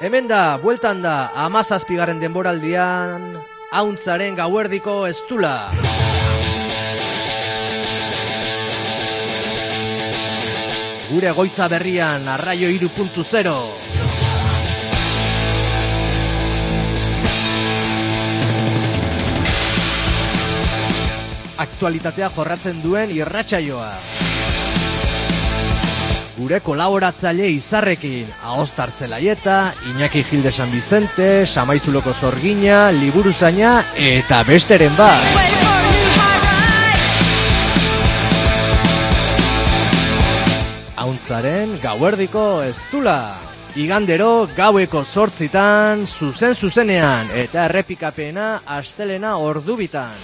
Hemen da, bueltan da, 17. denboraldian, Auntzaren gauerdiko estula. Gure goitza berrian, Arraio 3.0. Aktualitatea jorratzen duen irratsaioa. Gure kolaboratzaile izarrekin, Aostar Zelaieta, Iñaki Gil de San Vicente, Samaizuloko Zorgina, Liburuzaina eta besteren bat. Auntzaren gauerdiko estula. Igandero gaueko 8:00, zuzenean, eta errepikapena astelena ordubitan.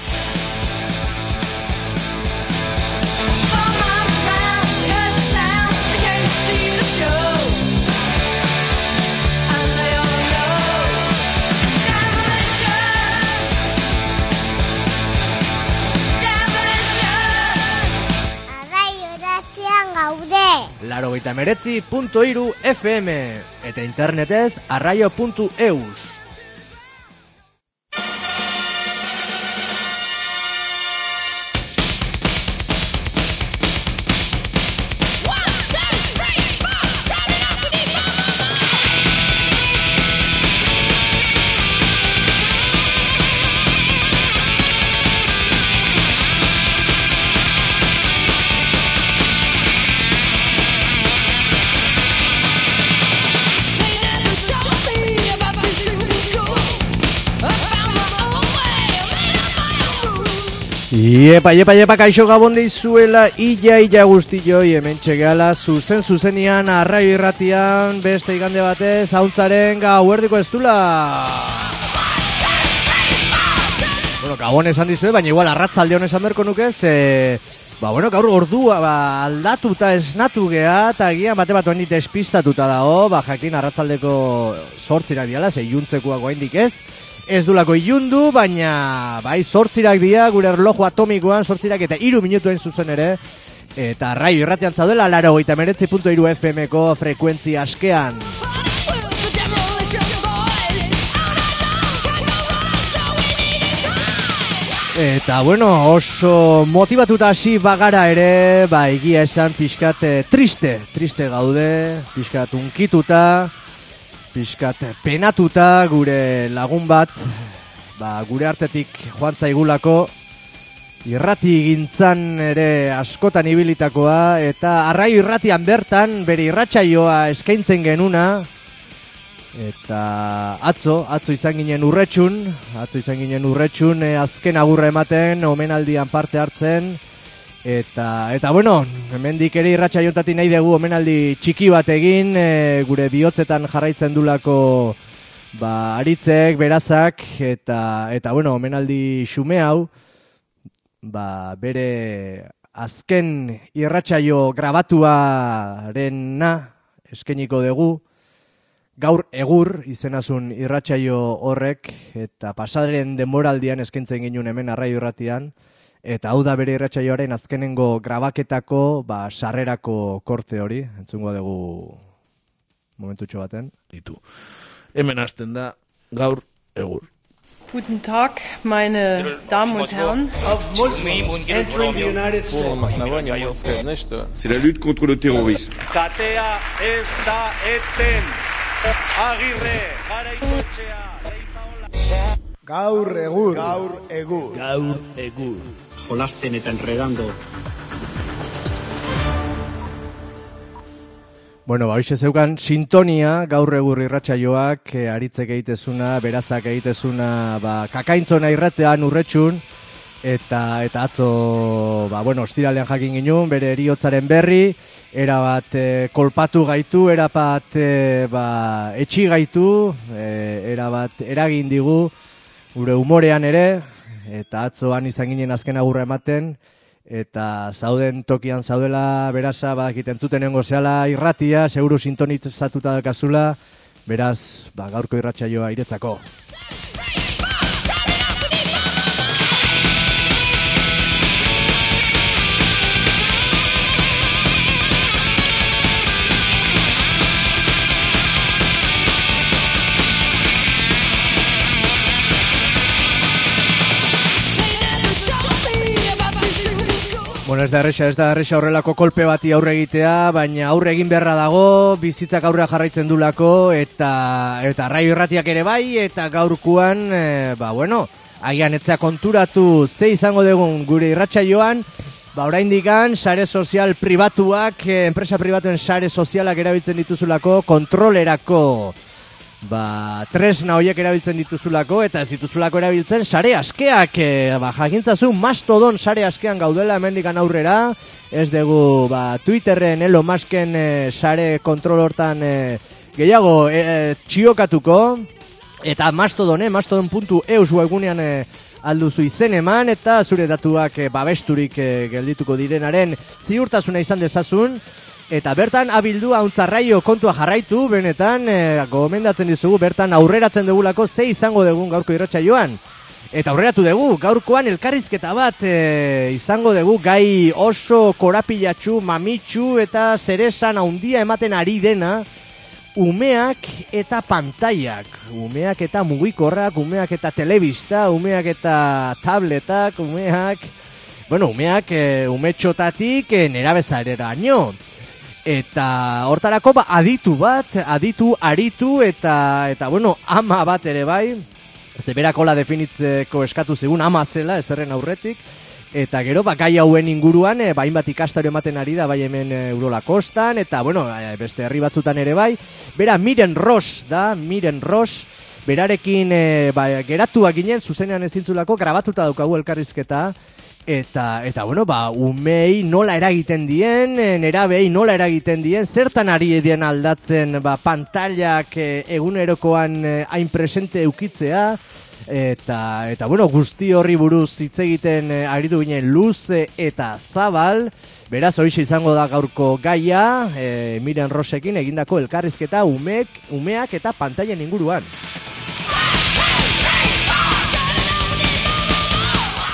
Laurogeita 89.3 FM eta internetez arraio.eus. Iepa, kaixo gabon deizuela, ia guztioi, hemen txegala, zuzenean, Arraio irratian, beste igande batez, Auntzaren gauerdiko estula. Bueno, gabon esan dizue, baina igual arratzalde honesan berko nukez, gaur ordua aldatuta esnatu gea, eta gian bate bat honit despistatuta dago, jakin arratzaldeko 8:00 diala, iluntzekoak oraindik ez dulako ilundu, baina bai 8:00 dira, gure erloju atomikoan 8:00 eta 3 minutuen zuzen ere, eta Arraio irratian zaudela 89.3 FM-ko frekuentzia askean. Eta bueno, oso motivatuta hasi bagara ere, egia esan pixkat triste gaude, pixkat unkituta, pixkat penatuta, gure lagun bat, gure artetik joan zaigulako, irrati gintzan ere askotan ibilitakoa, eta Arraio irratian bertan bere irratsaioa eskaintzen genuna, eta atzo izan ginen urretxun, azken agurra ematen, omenaldian parte hartzen, eta bueno, hemendik ere irratsaioetatik nahi dugu omenaldi txiki bat egin, gure bihotzetan jarraitzen dulako aritzek, berazak, eta bueno, omenaldi xume hau, bere azken irratsaio grabatuarena eskainiko dugu. Gaur egur izenazun irratsaio horrek, eta pasadaren denboraldian eskaintzen ginuen hemen Arraio irratian, eta hau da bere irratsaioaren azkenengo grabaketako sarrerako korte hori, entzungo dugu momentutxo baten. Hemen hasten da gaur egur. Guten Tag, meine Damen und Herren. Entering the United States. C'est la lutte contre le terrorisme. Katea ez da eten. Agirre, garaikoetxea, leizaola. Gaur egur. Jolasten eta enredando. Bueno, hoxe zeukan sintonia, gaur egur irratsaioak, aritzek egitezuna, berazak egitezuna, kakaintzona irratean urretxun, eta atzo, ostiralean jakin ginun, bere heriotzaren berri, erabat kolpatu gaitu, erabat etxi gaitu, erabat eragin digu, gure umorean ere, eta atzoan izan ginen azken agurra ematen, eta zauden tokian zaudela, berasa, entzuten nengo zehala irratia, seguru sintonizatuta dakazula, beraz, gaurko irratsaioa iretzako. Bueno, ez da erresa horrelako kolpe bati aurre egitea, baina aurre egin beharra dago, bizitzak aurrea jarraitzen dulako, eta Raio Irratiak ere bai, eta gaurkuan, agian etzea konturatu ze izango dugun gure irratsaioan, oraindikan sare sozial pribatuak, enpresa pribatuen sare sozialak erabiltzen dituzulako, kontrolerako, tresna horiek erabiltzen dituzulako, eta ez dituzulako erabiltzen sare askeak, jakintzazu Mastodon sare askean gaudela hemendikan aurrera, ez dugu Twitterren Elon Musken sare kontrol hortan gehiago txiokatuko, eta mastodon.eus webgunean alduzu izen eman, eta zure datuak babesturik geldituko direnaren ziurtasuna izan dezazun, eta bertan abildu hauntzarraio kontua jarraitu, benetan gomendatzen dizugu, bertan aurreratzen dugulako ze izango dugun gaurko irratsaioan. Eta aurreratu dugu, gaurkoan elkarrizketa bat izango dugu, gai oso korapilatxu, mamitxu eta zeresan handia ematen ari dena, umeak eta pantailak, umeak eta mugikorrak, umeak eta telebista, umeak eta tabletak, umeak umetxotatik nerabezareraino. Eta hortarako aditu aritu eta ama bat ere bai, zeberakola definitzeko eskatu zigun ama zela ezerren aurretik, eta gero gai hauen inguruan hainbat ikastaro ematen ari da bai hemen Urola Kostan, eta beste herri batzutan ere bai, bera Miren Ross, berarekin geratuak ginen zuzenean ezintzulako, grabatuta daukagu elkarrizketa, Eta umei nola eragiten dien, nerabei nola eragiten dien, zertan ari dien aldatzen pantailak egunerokoan hain presente eukitzea, eta guzti horri buruz hitz egiten aritu ginen luze eta zabal, beraz horixe izango da gaurko gaia, Miren Rossekin egindako elkarrizketa umeak eta pantailen inguruan.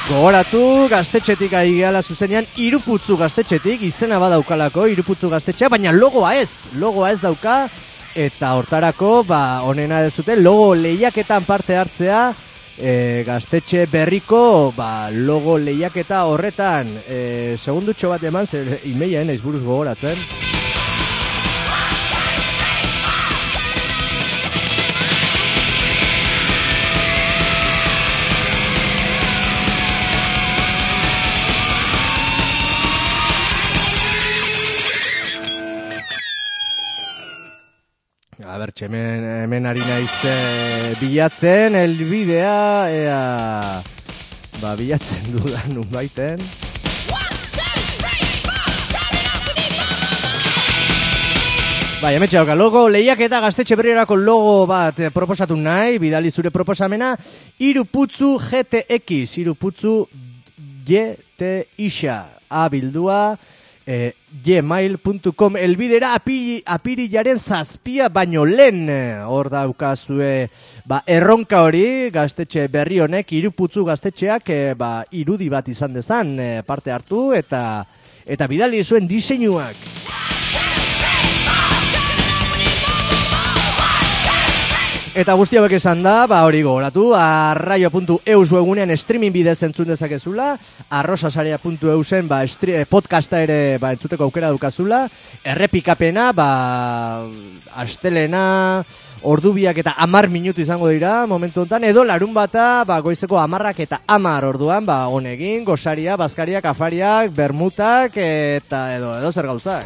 Gogoratu, Gaztetxetik ari gehala zuzenean, Iruputzu Gaztetxetik, izena badaukalako, Iruputzu Gaztetxea, baina logoa ez dauka, eta hortarako, honena dezute, logo lehiaketan parte hartzea, Gaztetxe berriko, logo lehiaketa horretan, segundutxo bat eman, zer imeia naiz buruz gogoratzen. Hemen ari naiz bilatzen, elbidea, bilatzen dudan unbaiten. Hemen txauka, logo lehiaketa Gaztetxe berriorako logo bat proposatu nahi, bidali zure proposamena, Iruputzu GTX, Iruputzu GTX, abildua, gmail.com elbidera apirilaren 7 baino lehen hor daukazue erronka hori Gaztetxe berri honek Iruputzu Gaztetxeak irudi bat izan dezan parte hartu eta bidali zuen diseinuak. Eta guzti hauek esan da, hori gogoratu, arraio.eus webunean streaming bidez entzun dezakezula, arrosasarea.eusen podcasta ere entzuteko aukera dukazula, errepikapena, astelena, ordubiak eta 10 minutu izango dira momentu honetan, edo larun bata, goizeko 10 eta 10 orduan, honegin, gosaria, bazkariak, afariak, bermutak, eta edo zer gauzak.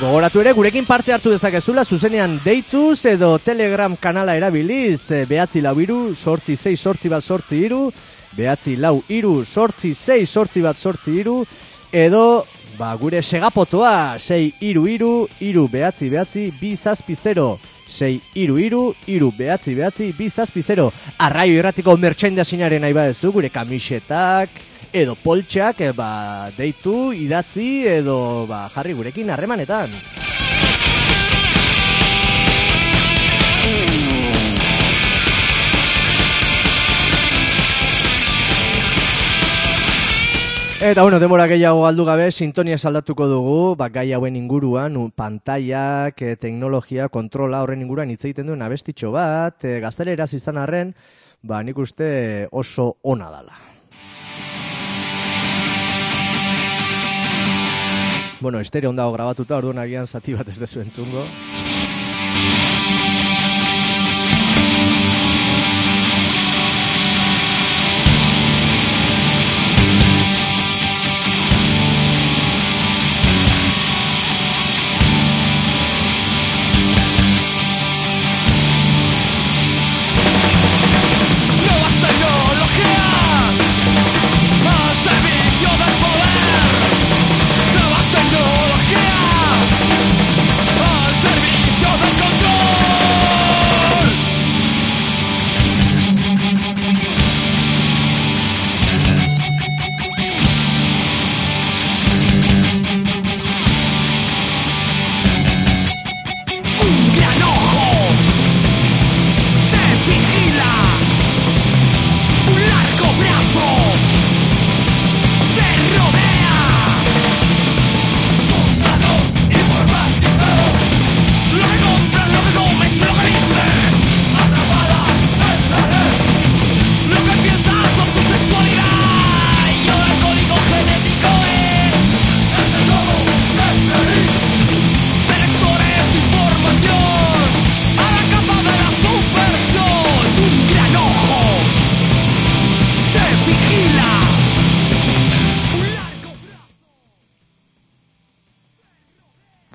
Gogoratu ere, gurekin parte hartu dezakezula, zuzenean deituz edo Telegram kanala erabiliz, 943-868-843, 943-868-843, edo gure segapotoa 633-399-260, 633-399-260, Arraio Irratiko merchandisinaren nahi badezu, gure kamisetak, edo poltsak, deitu, idatzi, edo jarri gurekin harremanetan. Eta demora gehiago galdu gabe, sintonia saldatuko dugu, gai hauen inguruan, pantaiak, teknologia, kontrola horren inguruan hitz egiten duen abestitxo bat, gazteleraz izan arren, nik uste oso ona dala. Estereo ondago grabatuta, orduan agian zati bat ez dezu entzungo.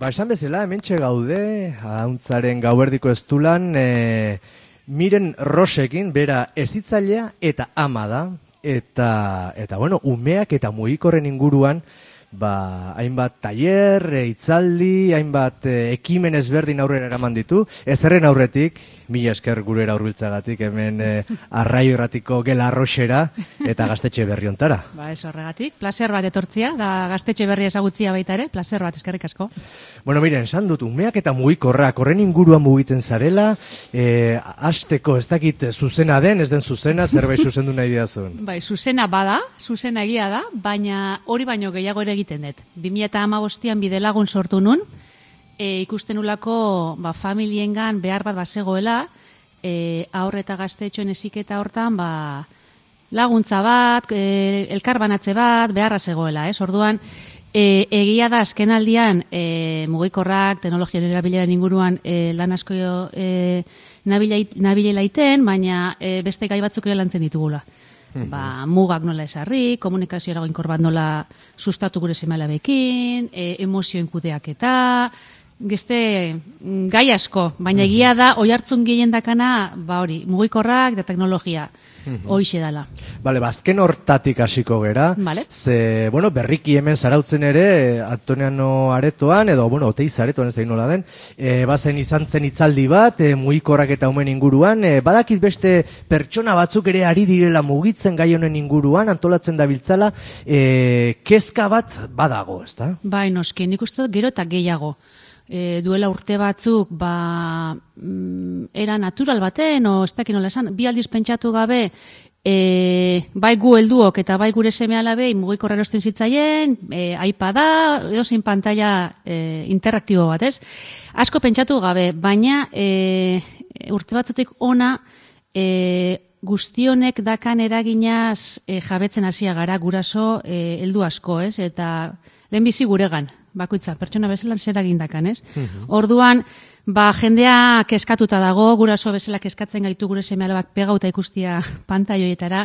Esan bezala, hementxe gaude, hauntzaren gauerdiko estulan, Miren Rosekin, bera ezitzailea eta ama da, eta umeak eta mugikorren inguruan, hainbat tailer, hitzaldi, hainbat ekimen ezberdin aurrera eraman ditu, ezerren aurretik, mila esker gurera hurbiltzagatik, hemen Arraio Irratiko Gela Arroxera eta Gaztetxe Berri ontara. Ez horregatik, placer bat etortzia, da Gaztetxe Berri ezagutzia baita ere, placer bat, eskerrik asko. Miren, esan dut, umeak eta mugikorrak horren inguruan mugitzen zarela, hasteko ez dakit zuzena den, ez den zuzena, zerbait zuzendu nahi diazun. Zuzena bada, zuzena egia da, baina hori baino gehiago ere egiten dut. 2015an Bidelagun sortu nun, ikusten ulako familiengan behar bat bazegoela, haur eta gaztetxoen heziketa hortan laguntza bat, elkarbanatze bat, beharra zegoela. Orduan, egia da azkenaldian mugikorrak, teknologian erabileran inguruan lan asko nabilela iten, baina beste gai batzuk ere lantzen ditugula. Mugak nola esarri, komunikazio eragoinkor bat nola sustatu gure seme-alabekin, emozioen kudeaketa, gai asko, baina egia da oihartzun gehien dakana, hori, mugikorrak eta teknologia, hoixe dala. Azken hortatik hasiko gera, ze, berriki hemen zarautzen ere, Antoniano Aretoan, edo, Oteiz Aretoan ez da nola den, bazen izan zen hitzaldi bat, mugikorrak eta umen inguruan, badakit beste pertsona batzuk ere ari direla mugitzen gai honen inguruan, antolatzen dabiltzala, kezka bat badago, ez da? Noski, nik uste dut gero eta gehiago. Duela urte batzuk era natural baten, o ez dakit nola esan, bi aldiz pentsatu gabe, bai gu helduok eta bai gure seme-alabei mugikorra erosten zitzaien, iPada, edozein pantalla interaktibo bat, ez? Asko pentsatu gabe, baina urte batzutik ona guztionek dakan eraginaz jabetzen hasia gara guraso heldu asko, ez? Eta lehenbizi guregan, bakoitza, pertsona bezala zer egindakan, ez? Orduan, jendea kezkatuta dago, guraso bezala kezkatzen gaitu gure seme-alabak pegauta ikustia pantaioietara,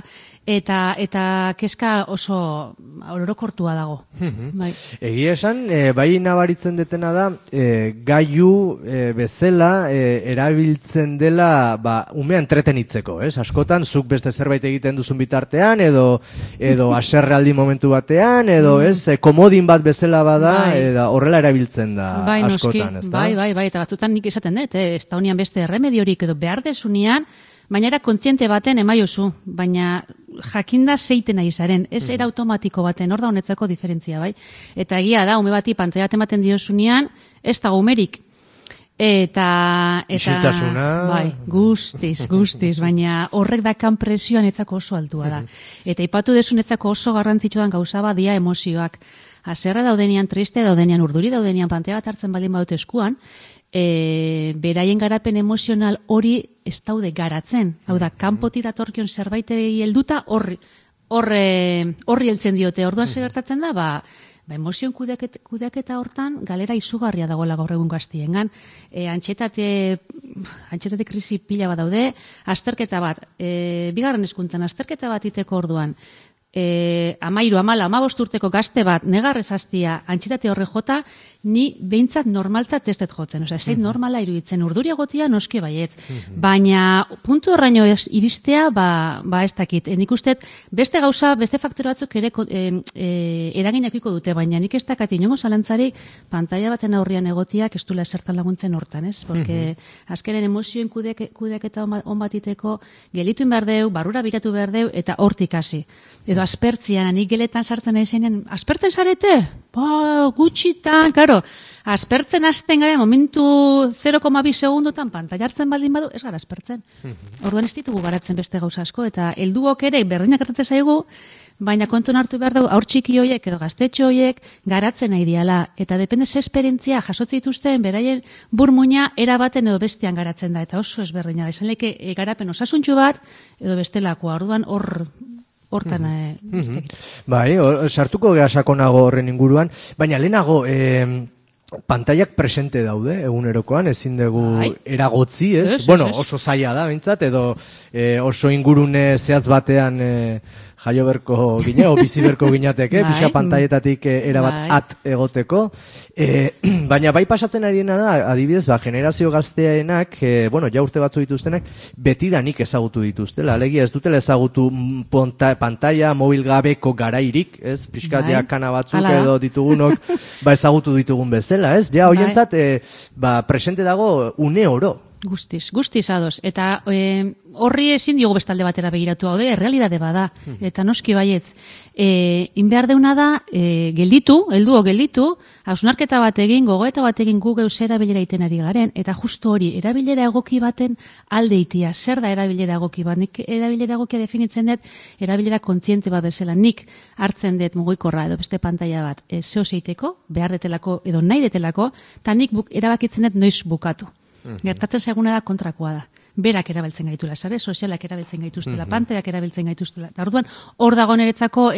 eta kezka oso orokortua dago. Egia esan, bai nabaritzen detena da, gailu bezala erabiltzen dela umea entretenitzeko, ez? Askotan, zuk beste zerbait egiten duzun bitartean, edo aserrealdi momentu batean, edo komodin bat bezala bada, horrela erabiltzen da askotan, ez da? Bai, eta batzutan nik esaten dut, ez da honian beste remediorik edo behar desunian, baina era kontziente baten emaiozu, baina jakinda zeiten nahi zaren, ez era automatiko baten, hor da honetzako diferentzia, bai? Eta egia da, ume bati pantaila ematen diozunean, ez da umerik. Eta isiltasuna. Bai, guztiz, baina horrek dakan presioan etzako oso altua da. Eta ipatu desun etzako oso garrantzitsuan gauza bat dia emozioak. Haserra daudenean, triste daudenean, urduri daudenean, pantea bat hartzen baldin badut eskuan, beraien garapen emozional hori ez daude garatzen. Hau da, kanpotik datorkion zerbaiteri helduta horri heltzen diote. Orduan segertatzen da, emozioen kudeaketa hortan galera izugarria dagoela gaur egun gaztiengan. Antxetate krisi pila bat daude, azterketa bat, bigarren hezkuntzan azterketa bat iteko orduan, 13, 14, 15 urteko gazte bat negarrez hastia antxitate horre jota, ni behintzat normaltzat testet jotzen. Osea, zait normala iruditzen urduri egotia noski baietz. Baina puntu horraino iristea, ez dakit. Nik ustet beste gauza, beste faktore batzuk ere eraginakiko dute, baina nik ez dakat inongo zalantzarik pantaila baten aurrian egotiak ez duela esertan laguntzen hortan, ez? Porque azkenen emozioen kudeaketa on batiteko gelituin behar deu, barrura biratu behar deu, eta hortik hasi. Edo aspertzian, nik geletan sartzen aizenean, aspertzen zarete? Gutxitan, karo, aspertzen hasten gara, momentu 0,2 segundotan pantaila hartzen baldin badu, ez gara aspertzen. Orduan ez ditugu garatzen beste gauza asko, eta helduok ere berdinak gertatzen zaigu, baina kontuan hartu behar dugu, aur txiki hoiek edo gaztetxo hoiek garatzen nahi diala, eta depende ze esperientzia jasotze dituzten, beraien burmuina erabaten edo bestean garatzen da, eta oso ezberdina da, izan leke garapen osasuntxu bat, edo bestelakoa, orduan hortan Bai, sartuko geha sakonago horren inguruan, baina lehenago pantaiak presente daude egunerokoan, ezin dugu eragotzi, ez? Bueno, oso zaila da, bintzat, edo oso ingurune zehatz batean jaio berko gine, o bizi berko ginateke, pixka pantaietatik erabat at egoteko. Baina bai pasatzen ariena da, adibidez, generazio gazteaenak, ja urte batzu dituztenak, betidanik ezagutu dituztela. Alegia ez dutela ezagutu pantaila mobil gabeko garairik, ez? Pixkat kana batzuk edo ditugunok ezagutu ditugun bezala, ez? Ja, hoientzat, presente dago une oro. Guztiz ados. Eta horri ezin diogu bestalde batera begiratu hau, errealidade bada. Eta noski baietz. Inbehar deuna da, gelditu, hausnarketa bat egin, gogoeta bat egin gu geuz erabilera iten ari garen, eta justu hori, erabilera egoki baten aldeitia. Zer da erabilera egoki bat? Nik erabilera egokia definitzen dut, erabilera kontziente bat bezala. Nik hartzen dut mugikorra edo beste pantaila bat zeo zeiteko, behar detelako edo nahi detelako, eta nik erabakitzen dut noiz bukatu. Gertatzen zaiguna da kontrakoa da. Berak erabiltzen gaitula, sare sozialak erabiltzen gaituztela, pantailak erabiltzen gaituztela. Orduan, hor dago niretzako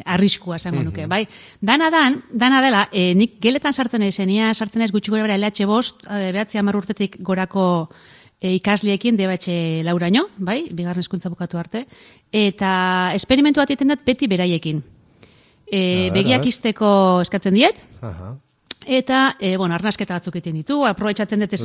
arriskua esango nuke, bai? Dana dela, nik geletan sartzen ez gutxi gora bera LH5, 9-10 urtetik gorako ikasliekin DBH lauraino, bai? Bigarren hezkuntza bukatu arte. Eta esperimentu bat egiten dut beti beraiekin. Begiak izteko eskatzen diet, eta, arnasketa batzuk egiten ditu, aprobetxatzen dut ez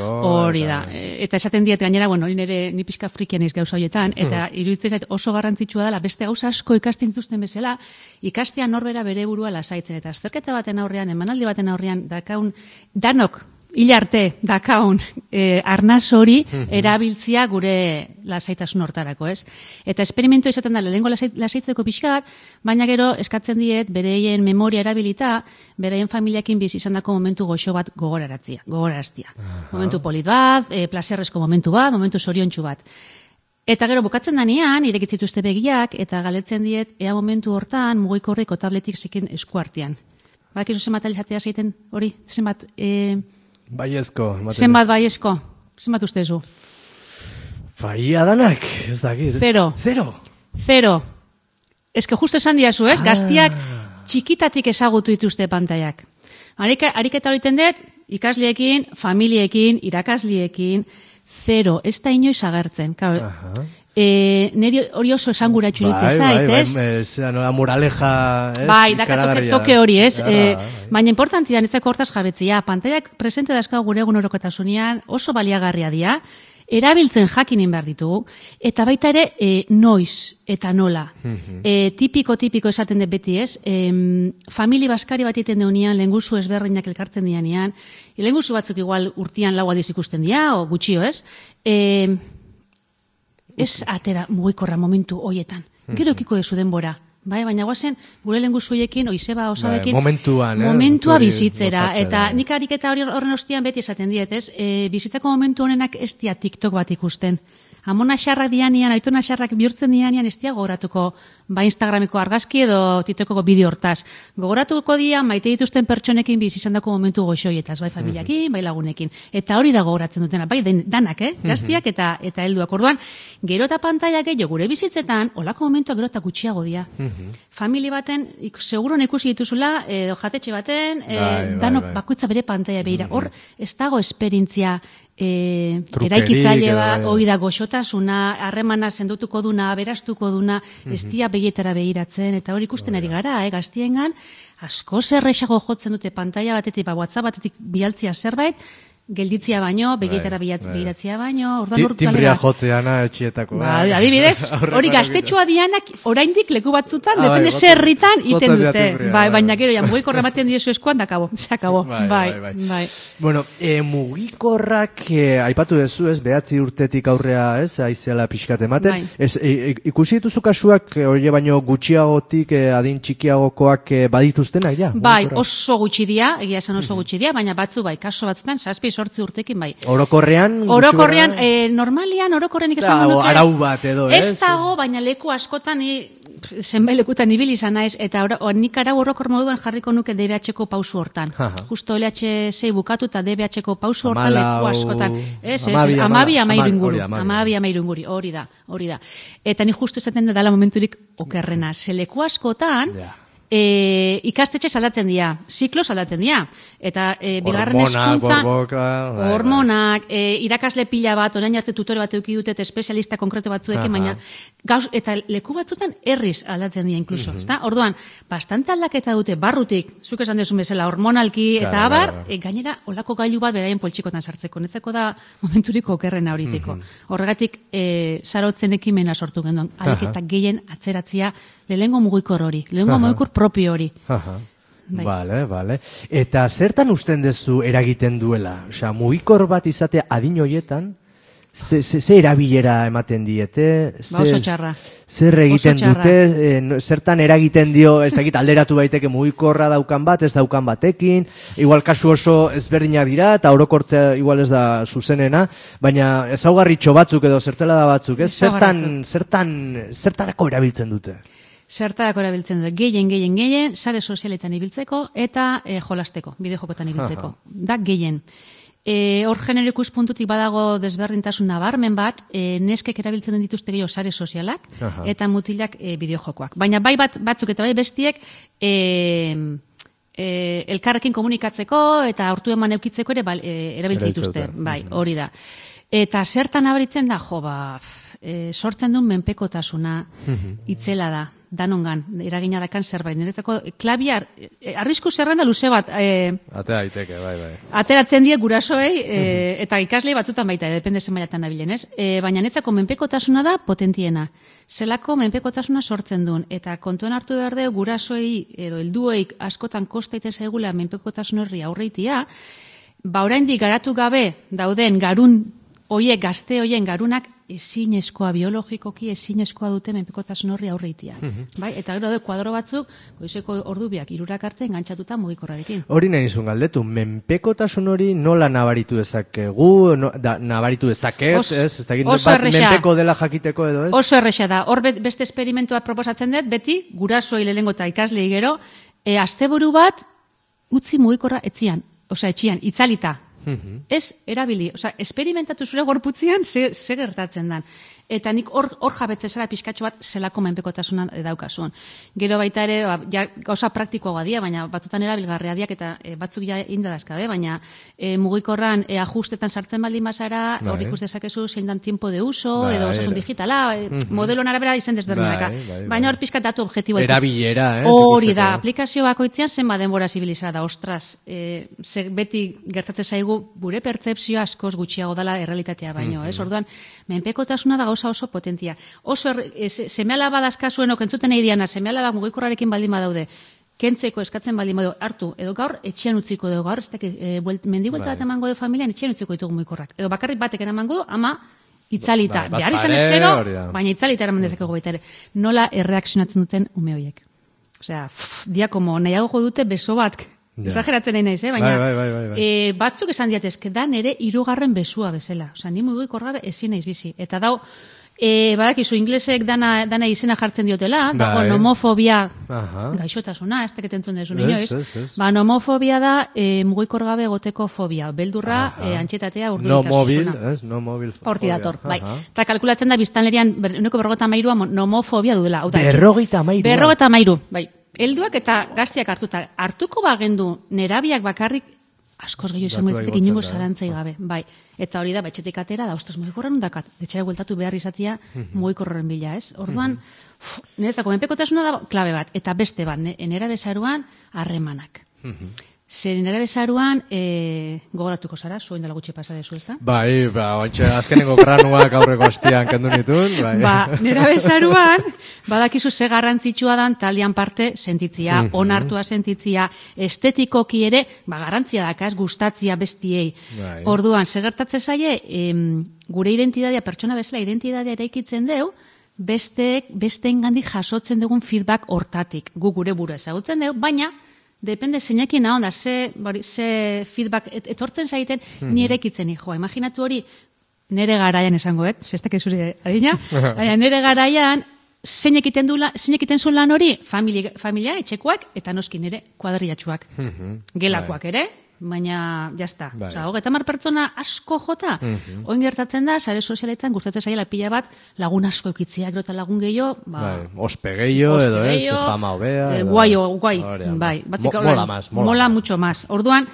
hori da. Eta esaten diet gainera, ni pixka frikian iz gauza horietan, eta iruditzen zait oso garrantzitsua dela, beste gauza asko ikasten dituzten bezala, ikastea norbera bere burua lasaitzen, eta azterketa baten aurrean, emanaldi baten aurrean, danok, hilarte dakaun arnaz hori erabiltzia gure lasaitasun hortarako, ez? Eta esperimentu izaten da, lehengo lasaitzeko pixkat, baina gero eskatzen diet bereien memoria erabilita, bereien familiakin bizi izan dako momentu goxo bat gogoraraztia. Momentu polit bat, plazerrezko momentu bat, momentu zoriontsu bat. Eta gero bukatzen danean, irekitzituzte begiak, eta galetzen diet, ea momentu hortan mugikorreko tabletik zikin esku artean. Bakizu zenbat alizatea zeiten hori? Zenbat... Baiezko. Zenbat baiezko? Zenbat ustezu? Faia danak, ez dakit. Zero. Ez que justo esan diazu, ez? Gaztiak txikitatik ezagutu dituzte pantailak. Ariketa horiten dut, ikasliekin, familiekin, irakasliekin, zero. Ez da inoiz agertzen. Neri hori oso esanguratxu ditzen zait, ez? Nola moraleja, ez? Bai, toke hori, ez? Baina importantia netzako hortaz jabetzia. Pantailak presente dazka gure egunerokotasunean oso baliagarria dira, erabiltzen jakinin behar ditugu, eta baita ere noiz eta nola. Tipiko esaten dut beti, ez? Famili baskari bat iten deunean, lehenguzu ezberdinak elkartzen dianean, lehenguzu batzuk igual urtian lau adiz ikusten dira, o gutxio, ez? Ez atera mugikorra momentu hoietan. Gero ekiko dezu denbora. Bai, baina guazen, gure lengu zuiekin, oizeba osabekin, momentua bizitzera. Eta nik ariketa horren ostian beti esaten diet, ez? Bizitzako momentu honenak ez dia TikTok bat ikusten. Amona xarrak dianian, aitona xarrak bihurtzen dianian, ez dia gogoratuko ba Instagrameko argazki edo TikTokeko bideo hortaz. Gogoratuko dia maite dituzten pertsonekin bizizandako momentu goxoietaz, bai familiakin, bai lagunekin. Eta hori da gogoratzen dutena, bai danak, gaztiak eta helduak. Orduan, gero eta pantaila gehiago gure bizitzetan, olako momentuak gero eta gutxiago dia. Familia baten, seguron ikusi dituzula, edo jatetxe baten, dano bakoitza bere pantaila behira. Hor, ez dago esperientzia eraikitzaile bat, hori da goxotasuna, harremana sendotuko duna, berastuko duna, ez dia begietara behiratzen, eta hori ikusten ari gara, gaztiengan, asko zerrexago jotzen dute pantaila batetik, WhatsApp batetik bialtzia zerbait, gelditzia baino, begietara behiratzia baino, timbria jotzeana etxietako. Adibidez, hori gaztetxoa dianak oraindik leku batzutan, depende zerritan iten dute. Baina gero, mugikorra ematen diezu eskuan, da kabo, se akabo. Bai. Bueno, mugikorrak, aipatu dezu, ez, 9 urtetik aurrea, ez, aizeala pixkat ematen. Ikusi dituzu kasuak, hori baino gutxiagotik, adin txikiagokoak badituztenak, ja? Bai, oso gutxi dia, egia esan oso gutxi dia, baina batzu bai, kaso batzutan, 7-8 urtekin bai. Orokorrean, normalian orokorrenik esango nuke. Arau bat edo, ez? Ez dago, baina leku askotan zenbait lekutan ibili izan naiz, eta nik arau orokor moduan jarriko nuke DBH-ko pausu hortan. Justo LH6 bukatu eta DBH-ko pausu hortan leku askotan. Amabi amairunguri, hori da. Eta ni justo esaten da dela momenturik okerrena. Ze leku askotan, ikastetxe saldatzen dira, ziklo saldatzen dira, eta bigarren hezkuntzan hormonak, irakasle pila bat, orain arte tutore bat eduki dute, espezialista konkreto batzuekin, baina eta leku batzutan herriz aldatzen dira inkluso, ezta? Orduan, bastante aldaketa dute barrutik, zuk esan dezun bezala, hormonalki eta abar, gainera olako gailu bat beraien poltsikotan sartzeko, netzeko da momenturiko okerrena horiteko. Horregatik, sarotzen ekimena sortu genuen, aleketa gehien atzeratzia lehengo mugikor hori, lehengo mugikor propio hori. Bale. Eta zertan usten dezu eragiten duela? Osea, mugikor bat izatea adin hoietan, ze erabilera ematen diete? Oso txarra. Zer egiten dute? Zertan eragiten dio, ez dakit alderatu baiteke mugikorra daukan bat, ez daukan batekin, igual kasu oso ezberdinak dira, eta orokortzea igual ez da zuzenena, baina ezaugarritxo batzuk edo zertzela da batzuk, ez? Zertarako erabiltzen dute? Zertarako erabiltzen dute, gehien, sare sozialetan ibiltzeko eta jolasteko, bideojokotan ibiltzeko. Da, gehien. Hor genero ikuspuntutik badago desberdintasun nabarmen bat, neskek erabiltzen dituzte gehiago sare sozialak eta mutilak bideojokoak. Baina bai batzuk eta bai bestiek elkarrekin komunikatzeko eta hortu eman eukitzeko ere erabiltzen dituzte. Bai, hori da. Eta zertan abaritzen da, sortzen duen menpekotasuna itzela da. Danongan, eragina dakan zerbait. Niretzako, klabiar, arrisku zerrenda luze bat. Atera daiteke, bai. Ateratzen die gurasoei, eta ikaslei batzutan baita, depende zen mailatan nabilen, ez? Baina niretzako menpekotasuna da potentiena. Zelako menpekotasuna sortzen duen. Eta kontuan hartu behar dugu gurasoei, edo helduei askotan kostaiten zaigula menpekotasun horri aurreitia, oraindik garatu gabe dauden garun hoiek, gazte hoien garunak, ezinezkoa, biologikoki ezinezkoa dute menpekotasun horri aurreitia. Bai? Eta gero da kuadro batzuk, goizeko ordubiak 3 arte engantzatuta mugikorrarekin. Hori nahi nizun galdetu, menpekotasun hori nola nabaritu dezakegu, nabaritu dezaket, ez? Bat menpeko dela jakiteko edo ez? Oso erresa da. Hor beste esperimentua proposatzen dut, beti, gurasoi lehengo eta ikaslei gero, asteburu bat, utzi mugikorra etzian, etxian, itzalita. Ez erabili, esperimentatu zure gorputzian ze gertatzen dan. Eta nik hor jabetze zara pizkatxo bat zelako menpekotasuna daukazun. Gero baita ere, gauza praktikoa dia, baina batzutan erabilgarria diak eta batzuk ja indadazkabe, baina mugikorran ajustetan sartzen baldin bazara, hor ikus dezakezu zein dan tiempo de uso, edo osasun digitala, modelon arabera izen desberdinaka. Baina hor pizkat datu objektiboa ikusten. Erabilera, hori da, aplikazio bakoitzean zenbat denbora zibilizara da, ostras, beti gertatzen zaigu gure pertzepzioa askoz gutxiago dela errealitatea baino, ez? Orduan, menpekotasuna da oso potentia. Oso seme-alaba dazkazuen okentzuten nahi diana, seme-alaba mugikorrarekin baldin badaude, kentzeko eskatzen baldin badaude, hartu, edo gaur etxean utziko dugu, gaur mendibuelta bat emango du familian, etxean utziko ditugu mugikorrak. Edo bakarrik batek emango du, ama itzalita, behar izan eskero, baina itzalita eraman dezakegu baita ere. Nola erreakzionatzen duten ume horiek. Osea, dia como nahiago dute beso bat, exageratzen nahi naiz, baina batzuk esan diatezke da nere 3. besua bezala. Osea, ni mugikorra gabe ezin naiz bizi. Eta dau, badakizu, inglesek dana izena jartzen diotela, dago nomofobia gaixotasuna, ez teket entzun dezu inoiz. Nomofobia da mugikor gabe egoteko fobia, beldurra, antxetatea, urduritasuna. No mobil fobia. Horti dator, bai. Eta kalkulatzen da biztanlerian, 93 nomofobia dudela. 93? Bai. Helduak eta gaztiak hartuko bagendu nerabiak bakarrik askoz gehiago izango ditzatek inongo zalantzai gabe. Bai. Eta hori da, etxetik atera, da, ostras, mugikorren dakat, etxera gueltatu behar izatia mugikorren bila, ez? Orduan, niretzako menpekotasuna da klabe bat, eta beste bat, nera bezaruan harremanak. Zer nera bezaruan, gogoratuko zara, zuen dela gutxi pasa dezu, ez da? Bai, ointxe, azkenengo granuak aurreko astian kendu nituen. Nera bezaruan, badakizu ze garrantzitsua dan talian parte sentitzia, onartua sentitzia, estetikoki ere, garrantzia dakaz, gustatzia bestiei. Orduan, ze gertatze zaie, gure identitatea, pertsona bezala identitatea eraikitzen deu, besteengandik jasotzen dugun feedback hortatik. Gu gure burua ezagutzen deu, baina, depende zeinekin onda, ze feedback etortzen zaiten, ni erekitzen joa. Imaginatu hori, nere garaian esango, zestak ezuri adina, nere garaian, zein egiten zuen lan hori, familia, etxekoak, eta noski nere kuadriatxuak. Gelakoak ere, baina, jazta. Osa, 30 pertsona asko jota, oin gertatzen da, sare sozialetan gustatzen zaila pila bat, lagun asko eukitziak, eta lagun gehiago, ospe gehiago, edo fama hobea. Guai, bai. Mola mucho más. Orduan,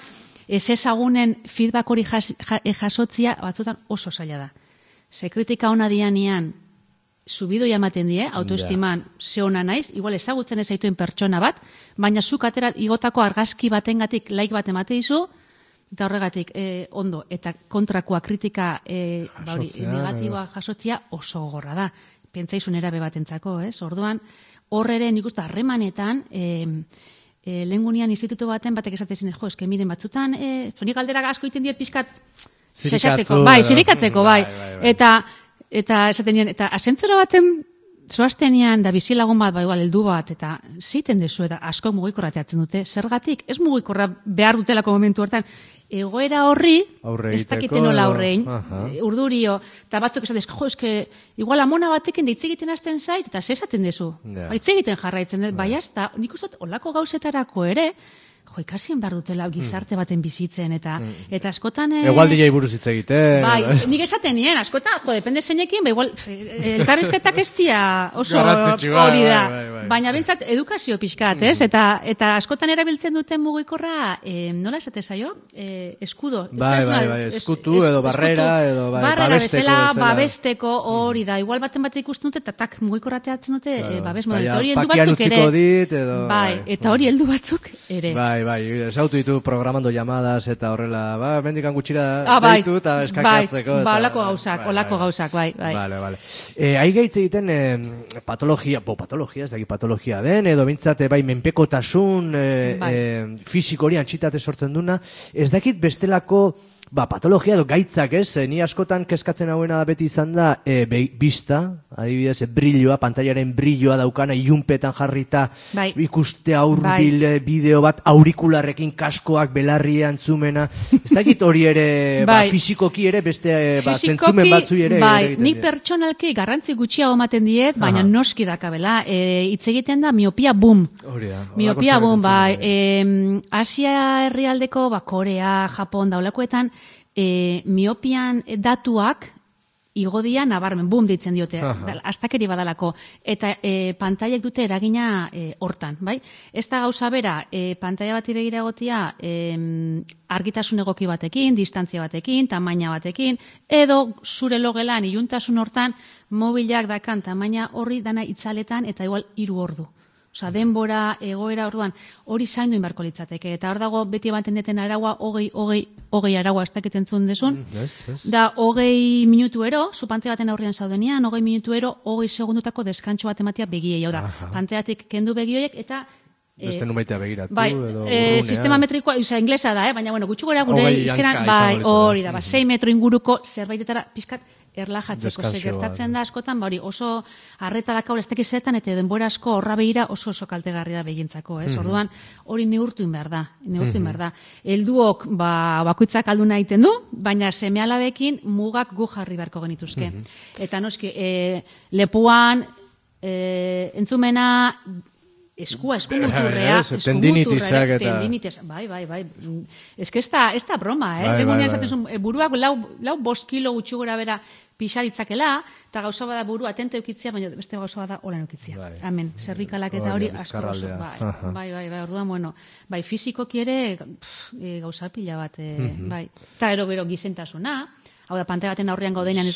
ez ezagunen feedback hori jasotzia, batzutan oso zaila da. Ze kritika hona dianean, subido jamaten die, autoestiman ze ona naiz, igual ezagutzen ez zaituen pertsona bat, baina zuk atera igotako argazki batengatik like bat emate dizu, eta horregatik ondo, eta kontrakoa kritika negatiboa jasotzia oso gorra da. Pentsaizun erabe batentzako, ez? Orduan, horre nik uste harremanetan, lehengunian instituto baten batek esatezen, eske miren batzutan, nik galdera asko iten diet pixkat zirikatzeko, bai. Eta esaten nien, eta asentzora baten zoaztenean da bizilagun bat, igual, heldu bat, eta ziten dezu, eta asko mugikorra teatzen dute. Zergatik, ez mugikorra behar dutelako momentu hortan, egoera horri, ez dakiten nola horrein, urdurio, eta batzuk esatez, igual amona batekin deitz egiten hasten zait, eta zesaten dezu. Baitz egiten jarraitzen dut, bai hasta, nik uste olako gauzetarako ere, ikasien behar dutela gizarte baten bizitzen, eta askotan... Igual DJ buruz hitz egiten. Bai, nik esaten nien, askotan, depende zeinekin, igual, elkarrizketak ez dia oso hori da. Baina bintzat edukazio pixkat, ez? Eta askotan erabiltzen duten mugikorra, nola esate zaio? Eskudo. Bai, eskutu edo barrera, edo babesteko hori da. Igual baten bat ikusten dute, eta tak mugikorra teatzen dute, babes modelo. Hori heldu batzuk ere. Bai, eta hori heldu batzuk ere. Bai, esautu ditu programando llamadas eta horrela, mendikan gutxira deitu eta eskakiatzeko. Olako gauzak, bai. Vale. Aigaitz egiten patologia ez daki patologia den, edo bintzate bai menpekotasun fisiko hori antxitate sortzen duna, ez dakit bestelako patologia edo gaitzak, ez? Ni askotan kezkatzen hauena beti izan da bista, adibidez, brilloa, pantailaren brilloa daukana, ilunpetan jarrita, ikuste aurbil bideo bat, aurikularrekin kaskoak, belarria entzumena, ez dakit hori ere, fisikoki ere, beste zentzumen batzui ere. Bai, nik pertsonalki garrantzi gutxiago ematen diet, baina noski dakabela, hitz egiten da miopia boom. Miopia boom, bai. Asia herrialdeko, Korea, Japon, daulakoetan, miopian datuak igodia nabarmen, boom ditzen diote, astakeri badalako, eta pantailek dute eragina hortan, bai? Ez da gauza bera, pantaila bati begira egotia argitasun egoki batekin, distantzia batekin, tamaina batekin, edo zure logelan iluntasun hortan mobilak dakan tamaina horri dana itzaletan eta igual 3 ordu. Osa, denbora, egoera, orduan, hori zaindu inbarko litzateke. Eta hor dago, beti ematen deten araua, hogei araua ez dakiten zuen desun. Da, 20 minutu ero, zu pantea baten aurrean zaudenian, 20 minutu ero, 20 segundutako deskantxo bat ematia begiei. Hau da, panteatik kendu begioiek, eta... Beste numaitea begiratu, edo urrunea. Sistema metrikoa, inglesa da, baina, gutxu gora gure izkeran, hori da, 6 metro inguruko zerbaitetara pizkat erlajatzeko, gertatzen da askotan, hori oso arreta dakaula ez dakiz zetan, eta denbora asko horra behira oso kaltegarria da begintzako, ez? Orduan, hori neurtuin behar da. Helduok bakoitzak alduna egiten du, baina seme-alabekin mugak gu jarri beharko genituzke. Eta noski, lepuan, entzumena, eskumuturrea, tendinitisak eta... Bai. Ez que ez da broma, Legunean esaten zuen, buruak lau 5 kilo gutxi gora bera pixa ditzakela, eta gauza bada burua atente eukitzia, baina beste gauza bada holan eukitzia. Hemen, zerrikalak eta hori asko oso. Bai, orduan, bueno, bai, fizikoki ere gauza pila bat, bai. Eta gero gizentasuna, hau da, pantalla baten aurrean gaudenean ez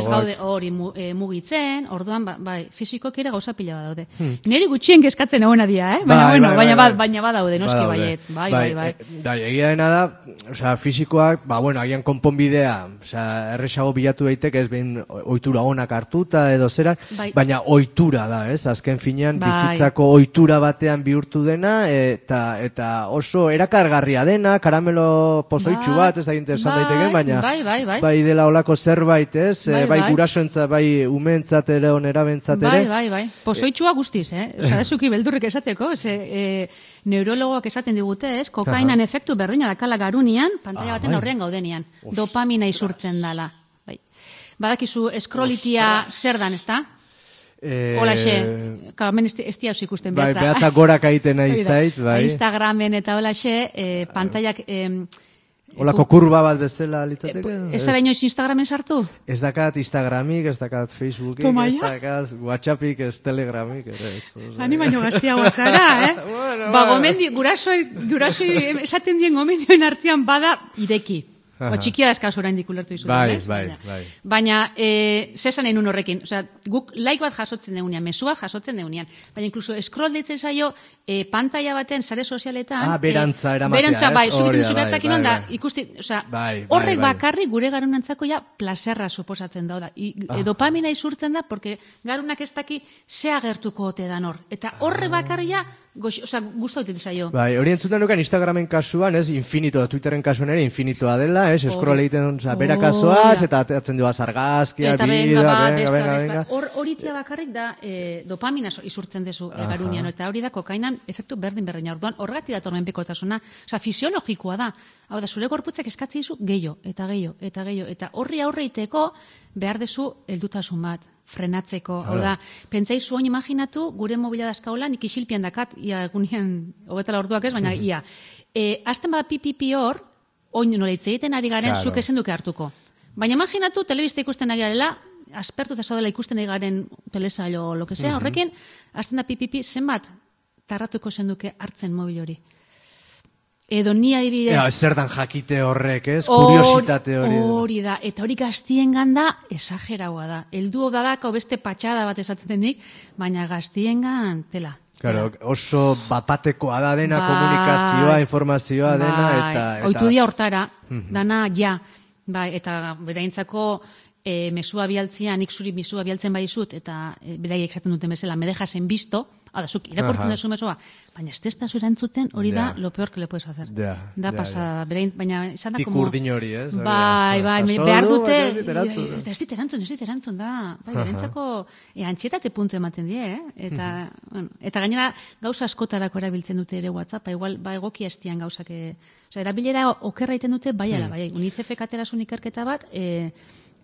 gaude hori mugitzen, orduan, bai, fizikoki ere gauza pila bat daude. Neri gutxien kezkatzen egona dia, baina badaude, noski baiet. Bai. Egia dena da, osea, fizikoak, agian konponbidea, osea, erresago bilatu daitek, ez behin ohitura onak hartuta edo zera, baina ohitura da, ez? Azken finean, bizitzako ohitura batean bihurtu dena, eta oso erakargarria dena, karamelo pozoitxu bat, ez da interesan daiteke, baina bai dela olako zerbait, ez? Bai gurasoentzat, bai umeentzat ere, onerabentzat ere. Bai. Pozoitxua guztiz, Osa, ezuki beldurrik esateko, neurologoak esaten digute, ez? Kokainan efektu berdina dakala garunian, pantalla baten aurrean gaudenian. Dopamina isurtzen dala. Badakizu, eskrolitia zer dan, ez da? Holaxe, hemen ez diauz ikusten behatza. Bai, behatza gorak aiten nahi zait, bai. Instagramen eta holaxe, pantallak... Olako kurba bat bezala litzateke? Ez zara inoiz Instagramen sartu? Ez dakat Instagramik, ez dakat Facebookik, ez dakat Whatsappik, ez Telegramik. Hani baino gaztiagoa zara, gomendi, gurasoi esaten dien gomendioen artean bada ireki. Txikia eskaz orain dikulertu izutu. Bai. Baina, zesan egin horrekin. Osea, guk like bat jasotzen deunean, mesua jasotzen deunean. Baina, inkluso, scroll ditzen zaio, pantalla baten, sare sozialetan... berantza eramatea, berantza, bai, zubitzen zubiatzakin onda, ikusti, osea, horrek bakarri gure garunantzako ja plazerra suposatzen da. Dopamina isurtzen da, porque garunak ez daki ze agertuko ote dan hor. Eta horrek bakarri ja, guztu egiten zaio. Bai, hori entzutan dukan Instagramen kasuan, ez, infinito, Twitteren kasuan ere infinitoa dela, ez, scroll egiten, bera kasuaz, eta atzen dugu azargazkia, venga. Horitia bakarrik da dopamina isurtzen dezu garunian, eta hori da kokainan efektu berdin-berdina. Orduan, horregatik dator menpekotasuna, oza, fisiologikoa da. Hau da, zure gorputzak eskatzi dizu gehiago, eta horri aurreiteko behar dezu heldutasun bat, frenatzeko. Hau da, pentsaizu oin imaginatu, gure mobila dazkaola, nik isilpian dakat, ia egunean, hogetala orduak ez, baina ia. Azten bada pipipi hor, oin nola hitz egiten ari garen, zuk esen duke hartuko. Baina imaginatu, telebista ikusten ari garela, aspertu eta zaudela ikusten ari garen telesailo, lo que sea, horrekin, azten da pipipi, zenbat, tarratuko esen duke hartzen mobil hori. Edo ni adibidez... Zer dan jakite horrek, ez? Kuriositate hori. Hori da, eta hori gaztien ganda esageraua da. Eldu odadako beste patxada bat esaten denik, baina gaztien gan tela. Claro, oso bapatekoa da dena, komunikazioa, informazioa dena, eta... Oitu dia hortara, dana ja, bai, eta beraintzako mesua bialtzia, nik zuri mesua bialtzen bai zut, eta beraiek esaten duten bezala, me dejasen bisto, zuk irakurtzen dezu mesua, baina ez da zu erantzuten, hori da lo peor que le puedes hacer. Da pasada, baina esan da como... Tikurdin hori, ez? Bai, behar dute... Ez dit erantzun, da. Bai, berentzako antxetate puntu ematen die, Eta gainera gauza askotarako erabiltzen dute ere WhatsApp, igual, egokia estian gauzak... Erabilera okerra egiten dute, bai, UNICEF-ek aterasun ikerketa bat,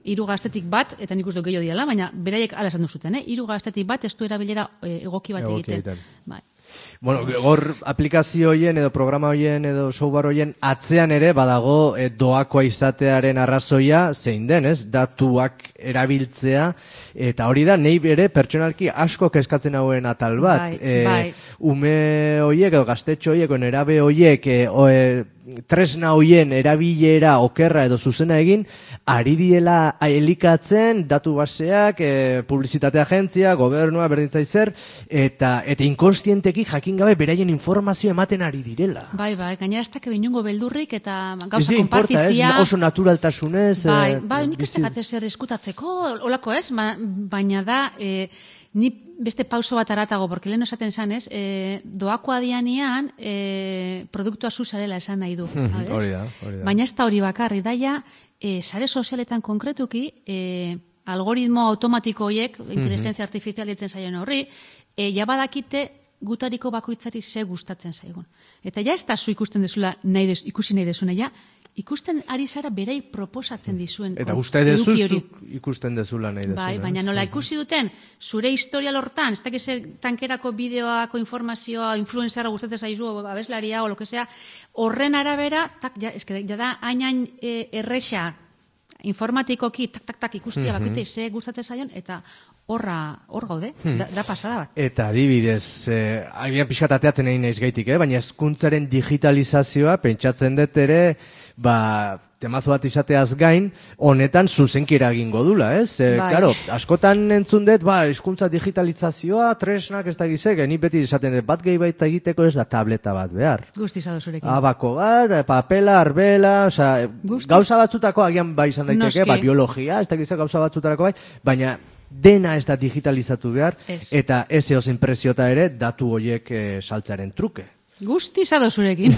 3 gaztetik bat, eta nik uste gehiago diala, baina beraiek ala esan duzuten, 3 gaztetik bat ez du erabilera egoki bat egiten. Bai. Bueno, gor aplikazio hoien edo programa hoien edo software hoien atzean ere badago doakoa izatearen arrazoia zein den, ez? Datuak erabiltzea, eta hori da, nei bere pertsonalki asko kezkatzen hauen atal bat. Ume hoiek edo gaztetxo hoiek, nerabe hoiek, tresna hoien erabilera okerra edo zuzena egin, ari diela elikatzen datu baseak, publizitate agentzia, gobernua, berdintzaizer, eta inkonstienteki jakin gabe beraien informazio ematen ari direla. Bai, gainera ez dakit inungo beldurrik eta gauza kompartitzia. Ez importa, ez oso naturaltasunez. Bai, nik ez dakit zer eskutatzeko, olako ez, baina da... Ni beste pauso bat aratago, porque lehen esaten esan ez, doakoa dianean produktua zuzarela esan nahi du. Hori da. Baina ez da hori bakarri, daia sare sozialetan konkretuki, algoritmo automatiko horiek, inteligentzia artifizial ditzen zaien horri, jabadakite gutariko bakoitzari ze gustatzen zaigun. Eta ja ez da zu ikusten dezula ikusi nahi dezuna, ja ikusten ari zara berei proposatzen dizuen. Eta uste dezu ikusten dezula nahi dezuna. Bai, baina nola ikusi duten, zure historial hortan, ez dakiz tankerako bideoako informazioa, influenzera gustatzen zaizu, abeslaria, o lo que sea, horren arabera, ja da hain erresa informatikoki, tak ikustia bakoitzei ze gustatzen zaion, eta hor gaude, da pasada bat. Eta adibidez, agian pixkat ateatzen egin naiz gaitik, baina hezkuntzaren digitalizazioa, pentsatzen dut ere, temazo bat izateaz gain, honetan zuzenki eragingo dula, ez? Claro, askotan entzun dut, hezkuntza digitalizazioa, tresnak ez da gizek, ni beti esaten dut, bat gehi baita egiteko ez da tableta bat behar. Guztizado zurekin. Abako bat, papela, arbela, gauza batzutako agian bai izan daiteke, biologia, ez da gizek gauza batzutarako bai, baina dena ez da digitalizatu behar, eta ez eozen presiota ere datu horiek saltzaren truke. Guztizado zurekin.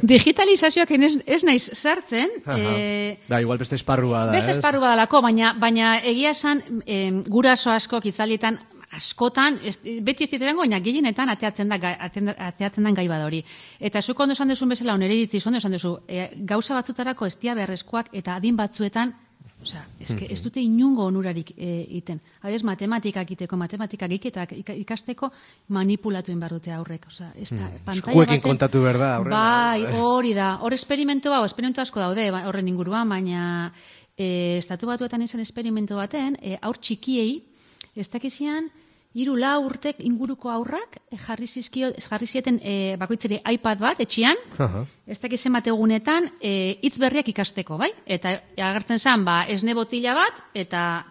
Digitalizazioak ez naiz sartzen. Igual beste esparrua da. Beste esparrua dalako, baina egia esan guraso asko kitzalietan askotan, beti ez diterango, baina gehienetan ateatzen den gai bada hori. Eta zuko ondo esan duzun bezala, onere iritzi, ondo esan duzu, gauza batzutarako ez dia beharrezkoak eta adin batzuetan, ez dute inungo onurarik iten. Adez, matematikak iteko, matematikak iketak ikasteko manipulatu behar dute aurrek. Eskuekin kontatu behar da aurrena. Bai, hori da. Hor esperimentu asko daude horren inguruan, baina estatu batuetan izan esperimentu baten, aur txikiei, ez dakizian, 3-4 urtek inguruko aurrak jarri zieten bakoitzeri iPad bat etxian, ez dakizen bat egunetan hitz berriak ikasteko, bai? Eta agertzen zen, esne botila bat eta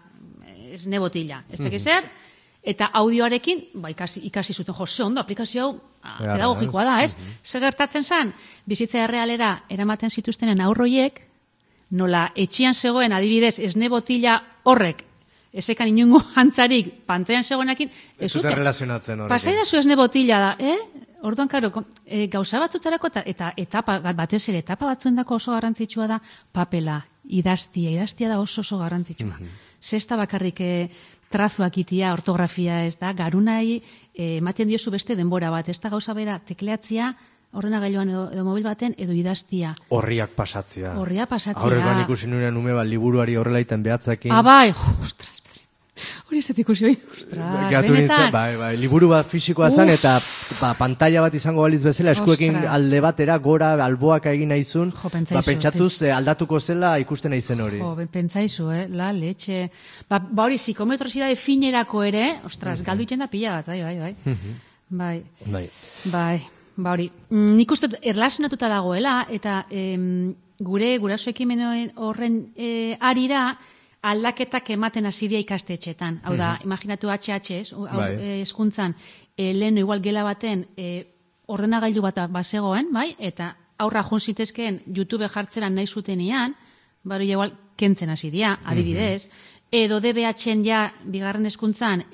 esne botila. Ez dakizer, eta audioarekin ikasi zuten, ze ondo, aplikazio hau pedagogikoa da, ez? Zer gertatzen zen, bizitza errealera eramaten zituztenen aurroiek, nola etxian zegoen adibidez esne botila horrek, ezekan inungo antzarik pantailan zegoenakin, ez zuten relazionatzen horrekin. Pasai da zu esne botila da, orduan, karo, gauza batzutarako eta etapa, batez ere, etapa batzuendako oso garrantzitsua da papela, idaztia da oso garrantzitsua. Zesta bakarrik trazuak itia, ortografia ez da, garunai ematen diozu beste denbora bat, ez da gauza bera tekleatzia, ordenagailuan edo mobil baten, edo idaztia. Horriak pasatzea. Aurrekoan ikusi nuen ume liburuari horrela iten behatzakin. Bai, ostras, hori ez dut ikusi hori, ostras, benetan. Bai, liburu bat fisikoa zen, eta pantalla bat izango baliz bezala, eskuekin alde batera, gora, alboak egin nahizun, pentsatuz aldatuko zela ikusten naizen hori. Pentsaizu, la leche. Hori, psikometrosidade finerako ere, ostras, galdu iten da pila bat, bai. Hori, nik uste erlazionatuta dagoela, eta guraso ekimen horren arira aldaketak ematen hasidia ikastetxetan. Hau da, imaginatu HH, hezkuntzan, leheno igual gela baten ordenagailu bat bazegoen, bai? Eta aurra joan zitezkeen YouTube jartzeran nahi zutenean, bari igual kentzen hasidia, adibidez, edo DBH-en ja, bigarren hezkuntzan,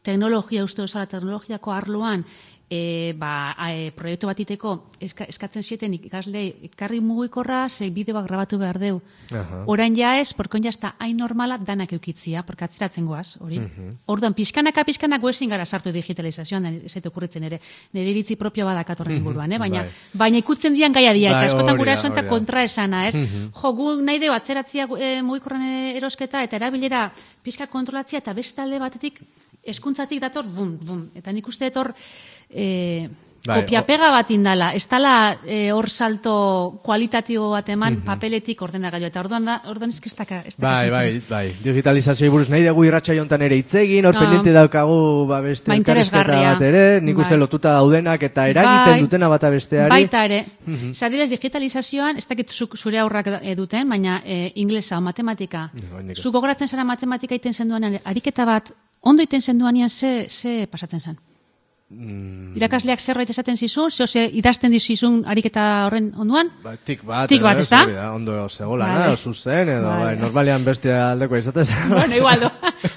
teknologia, teknologiako arloan, proiektu batiteko eskatzen zieten ikaslei ikarri mugikorra, bideoak grabatu behar deu. Orain ja ez, porkon ja ez da hain normala danak eukitzia, porque atzeratzen goaz, hori. Orduan, pixkanaka ezin gara sartu digitalizazioan, ez zaitu okurritzen ere, nire iritzi propio badakatorren inguruan, baina ikutzen dian gaia dia, eta askotan gura esan eta kontra esana, ez? Jo, gu nahi deu atzeratzia mugikorran erosketa, eta erabilera pixka kontrolatzia, eta beste alde batetik hezkuntzatik dator, bum, eta nik uste etor kopiapega bat indala, ez dala hor salto kualitatibo bat eman papeletik ordenagailu, eta orduan ezkestaka. Bai, digitalizazioa buruz nahi dugu irratsaio hontan ere hitzegin, hor pendiente daukagu beste elkarrizketa bat ere, nik uste lotuta daudenak eta eragiten dutena bata besteari. Baita ere, zadilez digitalizazioan, ez dakit zure aurrak duten, baina inglesa o matematika, zu gogoratzen zara matematika iten zenduanean, ariketa bat, ondo iten zenduanean ze pasatzen zen? Irakasleak zerbait esaten zizun, idazten dizizun ariketa horren onduan? Tik bat, ez da? Ondo zegoela, zuzen, edo normalean bestia aldeko izatez. Bueno, igualdo,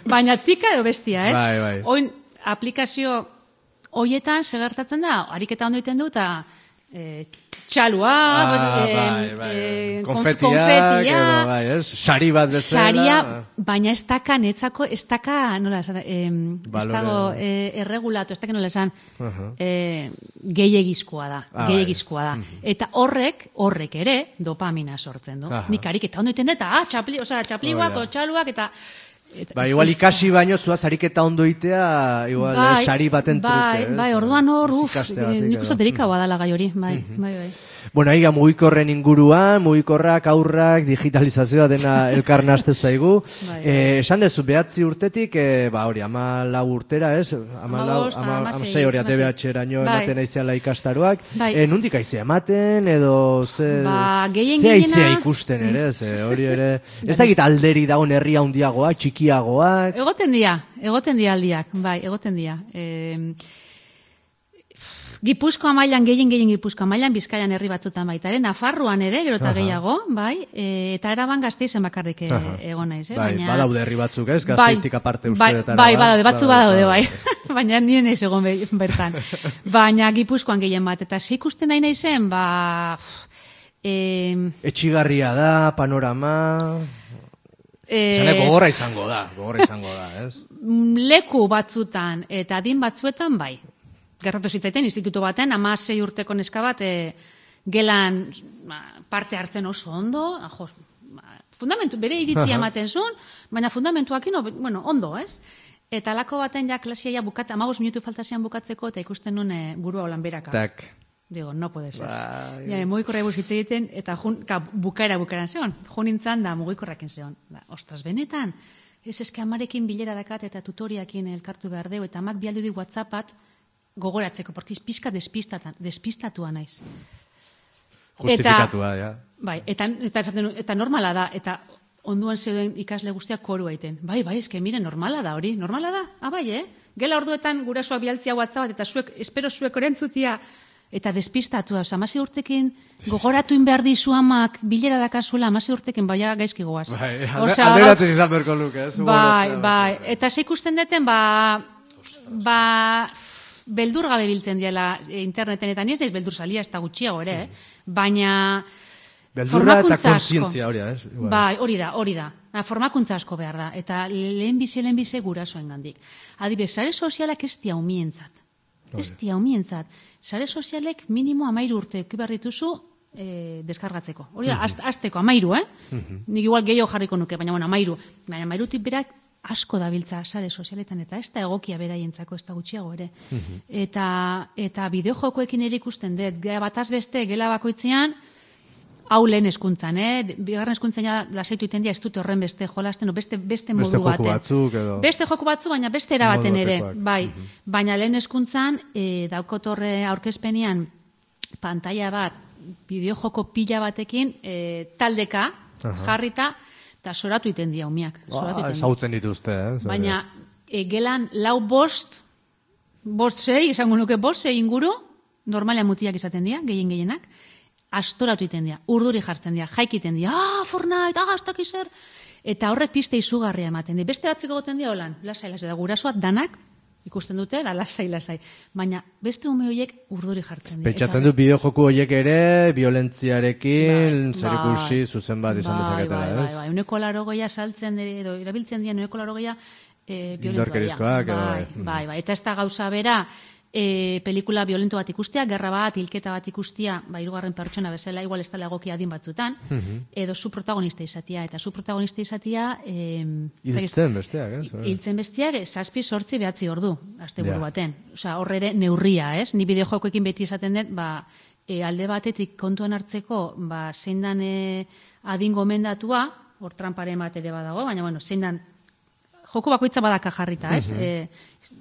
baina tika edo bestia, ez? Bai. Oin, aplikazio hoietan segertatzen da, ariketa ondo iten du, eta txalua, konfetiak, sari bat bezala. Saria, baina ez daka, nola esan, ez dago erregulatu, ez daka nola esan, gehiagizkoa da. Eta horrek ere dopamina sortzen du. Nik ariketa ondo iten dut, txapliuak, txaluak, eta... igual ikasi baino zuaz ariketa ondo itea, igual sari baten truke. Bai, orduan hor, nik uste derika badala gai hori, bai. Bueno, aiga mugikorren inguruan, mugikorrak, aurrak, digitalizazioa dena elkar nahaste zaigu. Esan dezu, 9 urtetik, hori, 14 urtera, ez? 16 hori, ATBH-eraino ematen aizeala ikastaroak. Nundik aizea ematen, edo ze aizea ikusten ere, hori ere. Ez da egit alderi dagoen herria handiagoa, txikiagoak. Egoten dia aldiak, bai, egoten dia. Gipuzkoa mailan, gehien Gipuzkoa mailan, Bizkaian herri batzutan baita ere, Nafarroan ere, gero eta gehiago, bai, eta Araban Gasteizen bakarrik egon naiz, badaude herri batzuk, ez? Gasteiztik aparte uste dut. Bai, badaude, bai. Baina nire naiz egon bertan. Baina Gipuzkoan gehien bat, eta ikusten nahi naizen, etxigarria da, panorama... Gogorra izango da, ez? Leku batzutan eta adin batzuetan, bai. Gertatu zitzaiten, instituto baten, 16 urteko neska bat, gelan parte hartzen oso ondo, fundamentu, bere iritzia ematen zuen, baina fundamentuakin, ondo, ez? Eta lako baten ja klasia bukatzen, 15 minutu faltazian bukatzeko, eta ikusten nuen burua holan beraka. Tak. Digo, no puede ser. Mugikorra eguz hitz egiten, eta bukaeran zeon. Nintzan da mugikorrakin zeon. Ostras, benetan, ez eske amarekin bilera dakat eta tutoriakin elkartu behar deu, eta amak bialdu di WhatsAppat gogoratzeko, porque pizka despistatua naiz. Justifikatua, ja. Bai, eta normala da, eta onduan zeuden ikasle guztiak koru aiten. Bai, eske, mire, normala da hori, normala da. Bai, Gela orduetan gurasoak bialtzia WhatsAppat, eta espero zuek orentzutia, eta despistatua, 16 urtekin gogoratuin behar dizu amak bilera dakazuela, 16 urtekin baina gaizki goaz. Alderatzen izan berko luke, ez? Bai, eta ze ikusten deten, beldur gabe biltzen diela interneten, eta nire naiz beldur salia, ez da gutxiago ere, baina beldurra eta konsientzia hori da, ez? Bai, hori da. Formakuntza asko behar da, eta lehenbize gurasoen gandik. Adibidez, sare sozialak ez dia umientzat. Sare sozialek minimo 13 urte behar dituzu deskargatzeko. Hori da, azteko 13, Nik igual gehiago jarriko nuke, baina 13. Baina 13tik berak asko dabiltza sare sozialetan, eta ez da egokia beraientzako, ez da gutxiago ere. Eta bideojokoekin ere ikusten dut, bataz beste, gela bakoitzean, hau lehen eskuntzan, bigarren eskuntzan lasaitu iten dia, ez dute horren beste jolasten, beste modu baten. Beste joku batzu, baina beste erabaten ere. Bai, baina lehen eskuntzan, daukotorre aurkezpenian, pantalla bat, bideojoko pila batekin, taldeka, jarrita, eta soratu iten dia umiak. Zautzen dituzte, Baina, gelan 5-6, esango nuke 5-6 inguru, normalean mutiak izaten dira, gehienak, astoratu iten dira, urduri jartzen dira, jaikiten dira, Fortnite, aztak izer, eta horrek piste izugarria ematen dira. Beste batzuk egoten dira, holan, lasai, da gurasoak danak, ikusten dute, da lasai. Baina beste ume horiek urduri jartzen dira. Pentsatzen dut bideojoku horiek ere, violentziarekin, zerikusi zuzen bat izan dezaketela, ez? Bai, 80% saltzen edo erabiltzen dira 80% indorkerizkoak, bai, eta ez da gauza bera, pelikula violento bat ikustea, gerra bat, hilketa bat ikustea, hirugarren pertsona bezala, igual ez dela egokia adin batzutan, edo zu protagonista izatea, eta zu protagonista izatea... Hiltzen besteak, ez? Hiltzen besteak, 7-8 behatzi ordu, asteburu baten. Horre ere neurria, ez? Ni bideojokoekin beti izaten dut, alde batetik kontuan hartzeko, zein dan adin gomendatua, hor tramparen bat ere badago, baina, zein dan joko bakoitza badaka jarrita, ez?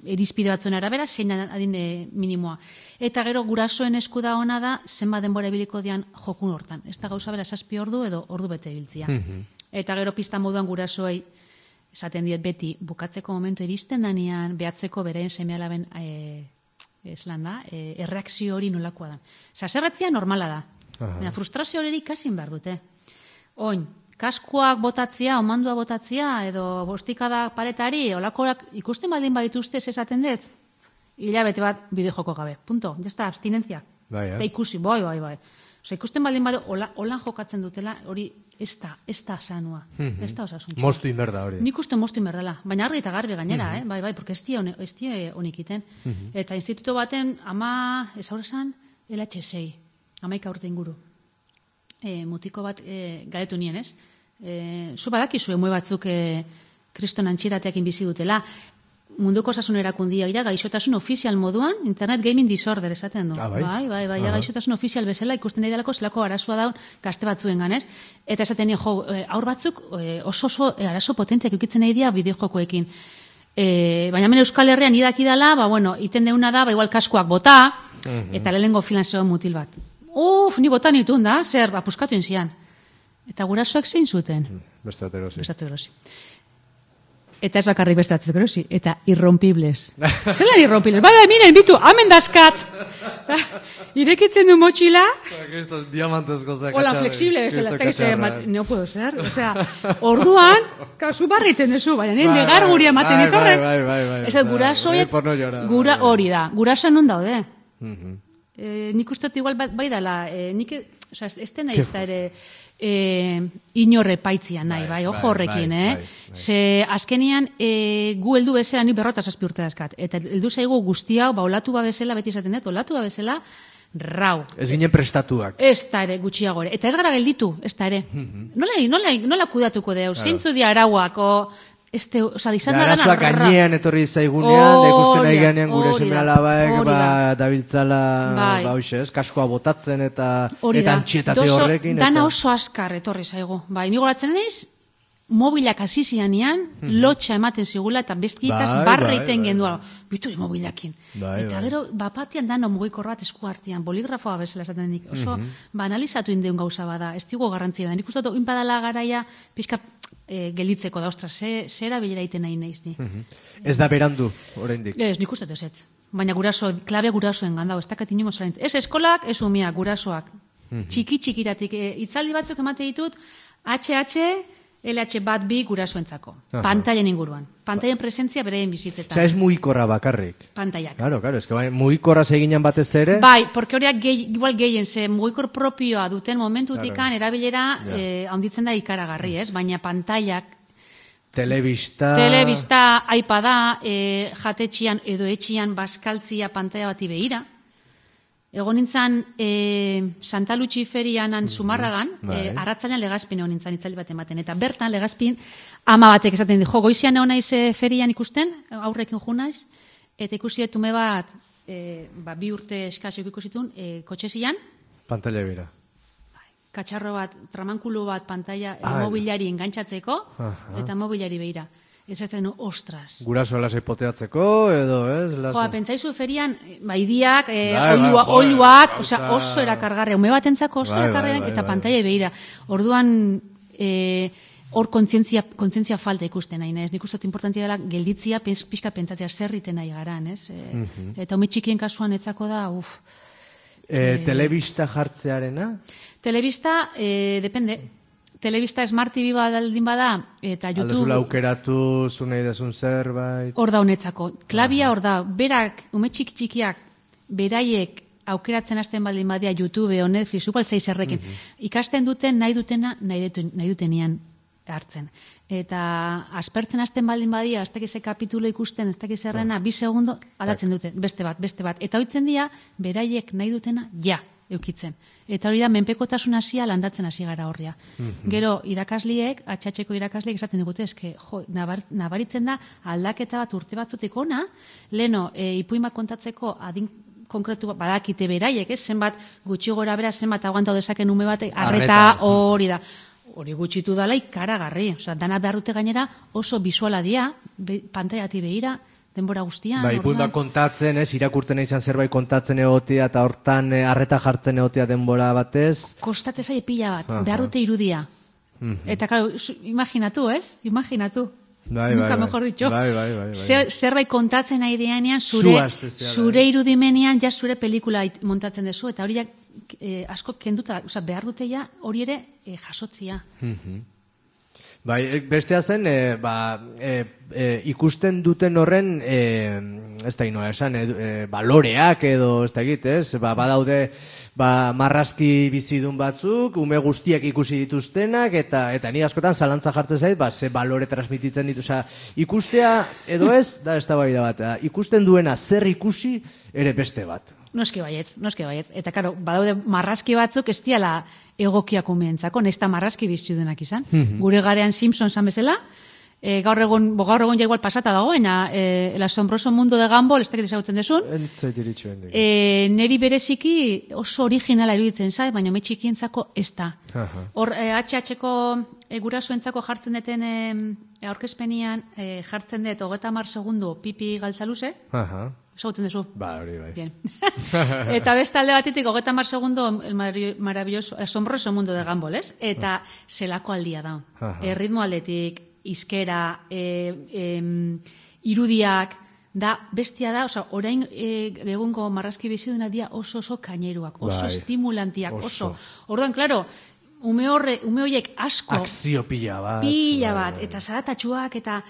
Irizpide batzuen arabera, zein adin minimoa. Eta gero gurasoen esku da ona da, zenbat denbora ibiliko dian jokun hortan. Ez da gauza bera 7 ordu edo ordu bete ibiltzia. Eta gero pista moduan gurasoei esaten diet beti, bukatzeko momentu iristen danean, behatzeko beraien seme-alaben erreakzio hori nolakoa da. Zerratzia normala da. Frustrazio hori ikasin behar dute. Oin, kaskoak botatzea, omandua botatzea, edo bostikada paretari, olakorak ikusten baldin badituzte esaten dut, hilabete bat bideojoko gabe. Punto. Ya está, abstinentzia. Eta ikusi, bai. Ikusten baldin badu, holan jokatzen dutela, hori ez da sanua, ez da osasuntxua. Mostu inberda hori. Nik uste mostu inberdela, baina argi eta garbi gainera, bai, porque ez die honik iten. Eta instituto baten, ama, ez aurresan, LH6, 11 urte inguru. Mutiko bat galetu nien, ez? Zu badakizu emue batzuk kriston antxitateakin bizi dutela, munduko osasun erakundia gaixotasun ofizial moduan, internet gaming disorder esaten du. Bai, gaixotasun ofizial bezala ikusten nahi delako zelako arazoa daun gazte batzuen ganez. Eta esaten nien, aur batzuk oso arazo potenteak eukitzen nahi dira bideojokoekin. Baina hemen Euskal Herrian idaki dela, iten deuna da, igual kaskoak bota, eta lehenengo filan zegoen mutil bat. Ni botan itun da, zer, puskatu inzian. Eta gurasoak zein zuten? Beste erosi. Eta ez bakarrik beste erosi. Eta irrompibles. Zelan irrompibles? Miren, bitu, amen daskat. Irekitzen du motxila. Hola, flexible, bezala, ez da gize, no puedo ser. Orduan, kasu barriten dezu, baina negar guri ematen ditorrek. Ez da, gurasoek, hori da, gurasoan non daude. Nik uste igual bai dela, ez dena ez da ere inorre paitzia nahi, bai, ojo horrekin, Ze azkenian gu heldu bezala, nik 47 urte dazkat, eta heldu zaigu guzti hau, olatu babesela, beti esaten dut, olatu babesela, rau. Ez ginen prestatuak. Ez da ere, gutxiago ere. Eta ez gara gelditu, ez da ere. Nola kudatuko deu, zeintzu di arauak, arazoak gainean etorri zaigunean, da ikusten nahi ganean gure seme alabaek, dabiltzala, kaskoa botatzen eta antxietate horrekin. Dana oso askar etorri zaigu. Bai, nigo goratzen naiz, mobilak hasi zianean, lotxa ematen zigula eta bestietaz barreiten gendua. Bituri mobilakin. Eta gero, bapatean dano mugikorra bat esku hartian, boligrafoa bezala esaten dik. Oso, analizatu indeun gauza bada, ez digo garrantzia da. Nik uste dut, inpadala garaia, pixka gelditzeko da, ostra, zera bilera iten nahi nahiz ni. Ez da berandu, oraindik. Ez, nik uste dut ez. Baina klabe gurasoen gandau, ez dakat inongo zarent. Ez eskolak, ez umia, gurasoak. Txiki-txikitatik, itzaldi batzuk emate ditut, HH, LH bat bi gurasoentzako. Pantailen inguruan. Pantailen presentzia bereien bizitzetan. Ez mugikorra bakarrik. Pantailak. Claro, ez que mugikorra seginan batez ere. Bai, porque horiak igual gehien, ze mugikor propioa duten momentutikan erabilera handitzen da ikaragarri, ez? Baina pantailak, telebista, iPada, jatetxian edo etxian baskaltzia pantaila bati behira. Egon nintzen Santa Luchi ferianan Zumarragan, arratzanean Legazpin egon nintzen itzaldi bat ematen. Eta bertan Legazpin ama batek esaten di, goizian egon naiz ferian ikusten, aurrekin jo naiz, eta ikusi etume bat, 2 urte eskasik ikusitun, kotxezian. Pantaila bera. Katxarro bat, tramankulu bat pantaila mobilari engantzatzeko, eta mobilari behira. Ez ez denu, ostras. Guraso lasai poteatzeko, edo, ez? Pentsaizu ferian, idiak, oiluak, oso erakargarria. Ume batentzako oso erakargarria, eta pantaila behira. Orduan, hor kontzientzia falta ikusten nahi, ez? Nik uste importantia dela gelditzia, pixka pentsatzea zerriten nahi garan, ez? Eta ume txikien kasuan etzako da, Telebista jartzearena? Telebista, depende. Telebista Smart TV baldin bada, eta YouTube... Aldezula aukeratu, zunei desun zerbait... Hor da honetzako. Klabia hor da, berak, ume txikiak, beraiek aukeratzen hasten baldin badia YouTube o Netflix, igual 6 errekin. Ikasten duten, nahi dutenian hartzen. Eta aspertzen hasten baldin badia, ez dakize kapitulo ikusten, ez dakize errena, 2 segundo, aldatzen dute, beste bat. Eta hoitzen dira, beraiek nahi dutena, eukitzen. Eta hori da, menpekotasun hasia landatzen hasi gara horria. Gero, irakasliek, atxatxeko irakasliek esaten digute, eske, nabaritzen da, aldaketa bat urte batzutik ona, leno, ipuimak kontatzeko adin konkretu badakite beraiek, zenbat gutxi gora bera, zenbat aguantau dezaken ume batek, arreta hori da. Hori gutxitu dala ikaragarri. Dana behar dute gainera oso bisuala dia, pantaiati behira, denbora guztian. Ipuimak kontatzen, irakurtzen izan zerbait kontatzen egotea, eta hortan arreta jartzen egotea denbora batez. Kostatzen zaie pila bat, behar dute irudia. Eta, claro, imaginatu, ez? Imaginatu. Nunca mejor dicho. Zerbait kontatzen nahi dianean, zure irudimenean, ja zure pelikula montatzen dezu, eta hori asko kenduta, behar dute ja hori ere jasotzia. Bestea zen, ikusten duten horren, ez da inoa esan, baloreak edo, ez da egit, badaude, marrazki bizidun batzuk, ume guztiak ikusi dituztenak, eta ni askotan zalantza jartzen zait, ze balore transmititzen ditu, ikustea edo ez, da ez da bai da bat, ikusten duena zer ikusi ere beste bat. Noski baiet. Eta, karo, badaude marrazki batzuk ez diala egokiak umeentzako, nesta marrazki bizitudenak izan. Gure garean Simpson zan bezala, gaur egon ja igual pasata dago, el asombroso mundo de Gumball, ez dakit ezagutzen desun. Neri bereziki oso originala iruditzen zait, baina me txikientzako ez da. Hor, HH-ko gurasoentzako jartzen deten aurkezpenian, jartzen dut 30 segundo pipi galtzaluze, ezagutzen dezu? Ba, hori bai. Bien. Eta beste alde batetik 30 segundo el maravilloso, asombroso mundo de Gumball, ez? Eta zelako aldia da. Ritmo aldetik, izkera, irudiak, da, bestia da, orain egungo marrazki biziduna dia oso kaineruak, oso estimulantiak, oso. Orduan, klaro, ume horiek asko... Akzio pila bat. Eta zaratatxuak, eta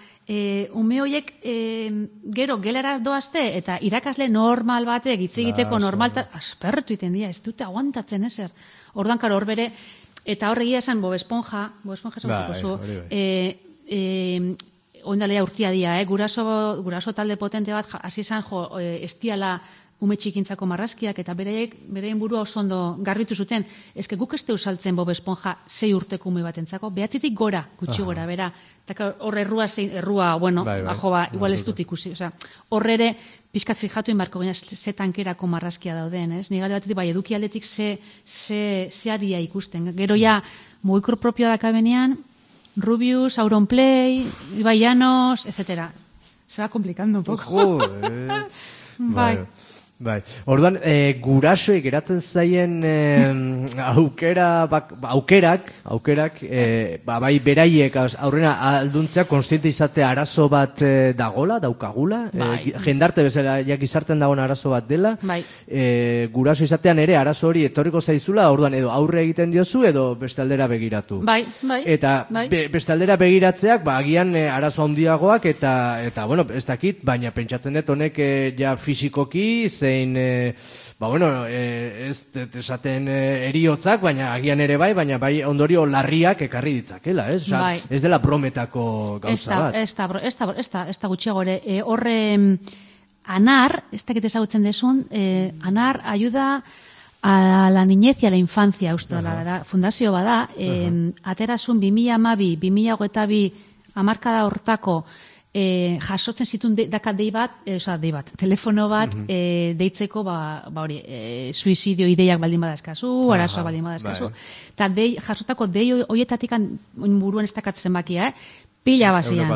ume horiek gero gelara doazte, eta irakasle normal batek, hitz egiteko normal, aspertu iten dira, ez dute aguantatzen ezer. Orduan, klaro, hor bere, eta horregia esan Bob Esponja esan zu, oindalea urtia dia, guraso talde potente bat, hasi izan estiala ume txikintzako marrazkiak, eta bereien burua oso ondo garbitu zuten, eske guk ez saltzen Bob Esponja 6 urteko ume batentzako, behatzitik gora, gutxi gora, bera, eta hor errua, bueno, igual ez dut ikusi, horre ere, pixkat fijatu inbarko gina, ze tankerako marrazkia dauden, ez? Nigale batetik, bai, eduki aldetik ze aria ikusten, gero ja, mugikor propioa dakabenean, Rubius, Auronplay, Ibai Llanos, etc. Se va complicando un poco. Bai. Orduan, gurasoek geratzen zaien aukerak, bai beraiek aurrena alduntzea konstiente izatea arazo bat daukagula, jendarte bezala gizarten dagoen arazo bat dela, guraso izatean ere arazo hori etorriko zaizula, orduan edo aurre egiten diozu edo beste aldera begiratu. Eta beste aldera begiratzeak, agian arazo handiagoak eta bueno, ez dakit, baina pentsatzen dut honek ja fisikoki, zein, ez esaten eriotzak, baina agian ere baina bai ondorio larriak ekarri ditzakela, ez? Ez dela brometako gauza bat. Ez da gutxiago ere. Horre, anar, ez dakit ezagutzen desun, anar ayuda a la niñez y a la infancia, uste da, fundazio bada, aterasun 2012-2022 hamarkada hortako jasotzen zituen dei bat, telefono bat deitzeko, hori, suizidio ideiak baldin badazkazu, arazoa baldin badazkazu, eta jasotako dei horietatik buruan ez dakatzen bakia, pila bazian.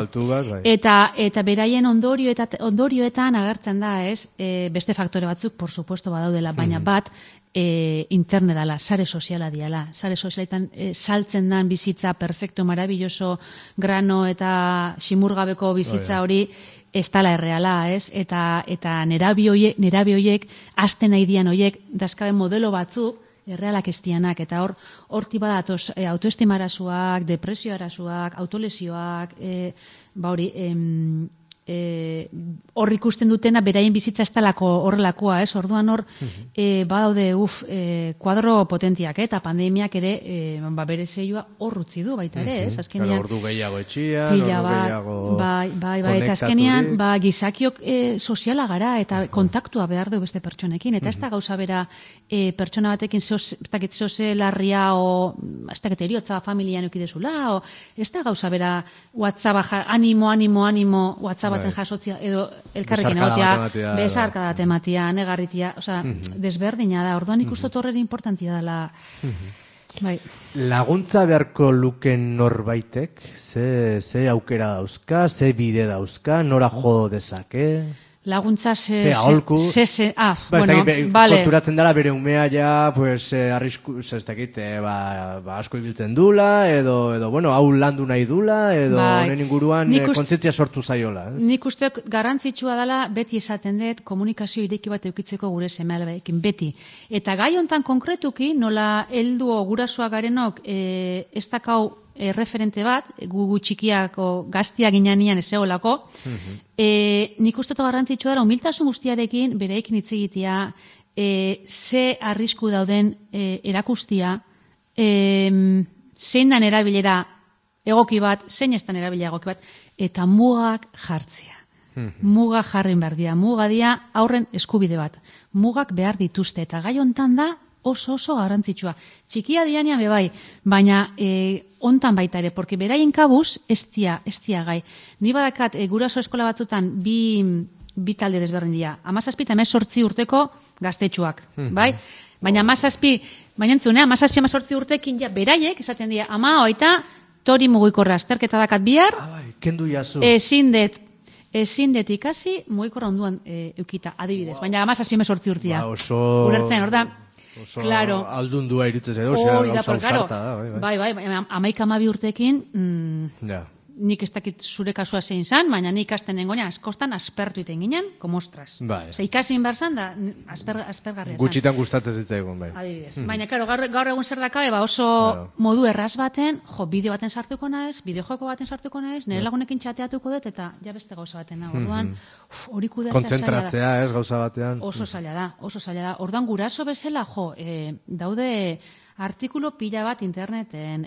Eta beraien ondorioetan agertzen da, ez, beste faktore batzuk, por supuesto, badaudela, baina bat, interne dala, sare soziala diala. Sare sozialetan saltzen dan bizitza perfecto, maravilloso, grano eta simurgabeko bizitza hori ez dala erreala, ez? Eta nerabi horiek, aste nahi dian horiek, dazkabe modelo batzuk, errealak estianak, eta horti bada autoestima arazoak, depresio arazoak, autolesioak, hori, hor ikusten dutena beraien bizitza ez talako horrelakoa, ez? Orduan hor, badaude, kuadro potentiak, eta pandemiak ere, bere zeioa hor utzi du baita ere, ez? Azkenean, ordu gehiago etxian, ordu gehiago konektaturik. Eta azkenean, gizakiok soziala gara, eta kontaktua behar du beste pertsonekin, eta ez da gauza bera pertsona batekin zoze larria, o ez da eriotza familian eukidezula, o ez da gauza bera WhatsApp, animo, WhatsApp baten jasotzia, edo elkarrekin egotea, besarka tematia, negarritia, desberdina da, orduan ikustot horren importantia dela. Laguntza beharko luken norbaitek, ze aukera dauzka, ze bide dauzka, nora jo dezake? Laguntza aholku. Konturatzen dela bere umea ja, arrisku, ez dakit, asko ibiltzen dula, edo, hau landu nahi dula, edo honen inguruan kontzientzia sortu zaiola. Nik usteok garrantzitsua dela, beti esaten dut, komunikazio ireki bat eukitzeko gure seme-alabeekin, beti. Eta gai hontan konkretuki, nola heldu gurasoak garenok, ez dakau referente bat, gu txikiako gaztia ginean ez egolako, nik uste garrantzitsua dara, humiltasun guztiarekin, bereikin hitz egitea, ze arrisku dauden erakustia, zein dan erabilera egoki bat, zein ez dan erabilera egoki bat, eta mugak jartzea. Muga jarrin behar dira, muga dira aurren eskubide bat. Mugak behar dituzte, eta gai hontan da oso garrantzitsua. Txikia dianean bebai, baina hontan baita ere, porque beraien kabuz ez dia gai. Ni badakat guraso eskola batzutan bi talde desberdin dira. 17 eta 18 urteko gaztetxuak, bai? Baina 17-18 urtekin ja beraiek esaten dira, ama oita tori mugikorra azterketa dakat bihar, kendu jazu. Ezin det ikasi mugikorra onduan eukita, adibidez. Baina 17-18 urtia. Ulertzen, hor da, oso aldundua iritzez edo, gauza usarta da. Bai, 11-12 urtekin, nik ez dakit zure kasua zein zan, baina nik ikasten nengoen, askostan aspertu iten ginen, komostras. Ikasin barzan da, aspergarria zan. Gutxitan gustatzen zitzaigun, bai. Adibidez. Baina, gaur egun zer dakabe, oso modu erraz baten, bideo baten sartuko naiz, bideojoko baten sartuko naiz, nire lagunekin txateatuko dut, eta ja beste gauza baten. Orduan, hori kudeatzea kontzentratzea, ez, gauza batean. Oso zaila da. Orduan, guraso bezala, daude artikulu pila bat interneten.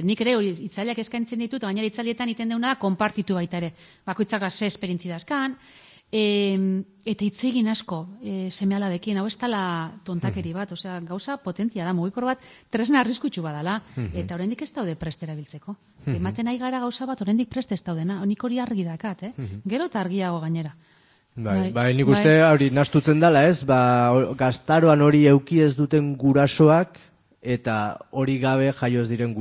Nik ere itzaliak eskaintzen ditut, baina itzalietan iten deuna konpartitu baita ere. Bakoitzak ze esperientzi dazkan. Eta hitz egin asko seme-alabekin, hau ez dala tontakeri bat, gauza potentia da, mugikor bat tresna arriskutsu badala, eta oraindik ez daude prest erabiltzeko. Ematen nahi gara gauza bat, oraindik prest ez daudena, nik hori argi dakat, gero eta argiago gainera. Bai, nik uste hori nastutzen dela, ez, gaztaroan hori euki ez duten gurasoak, eta hori gabe jaioz diren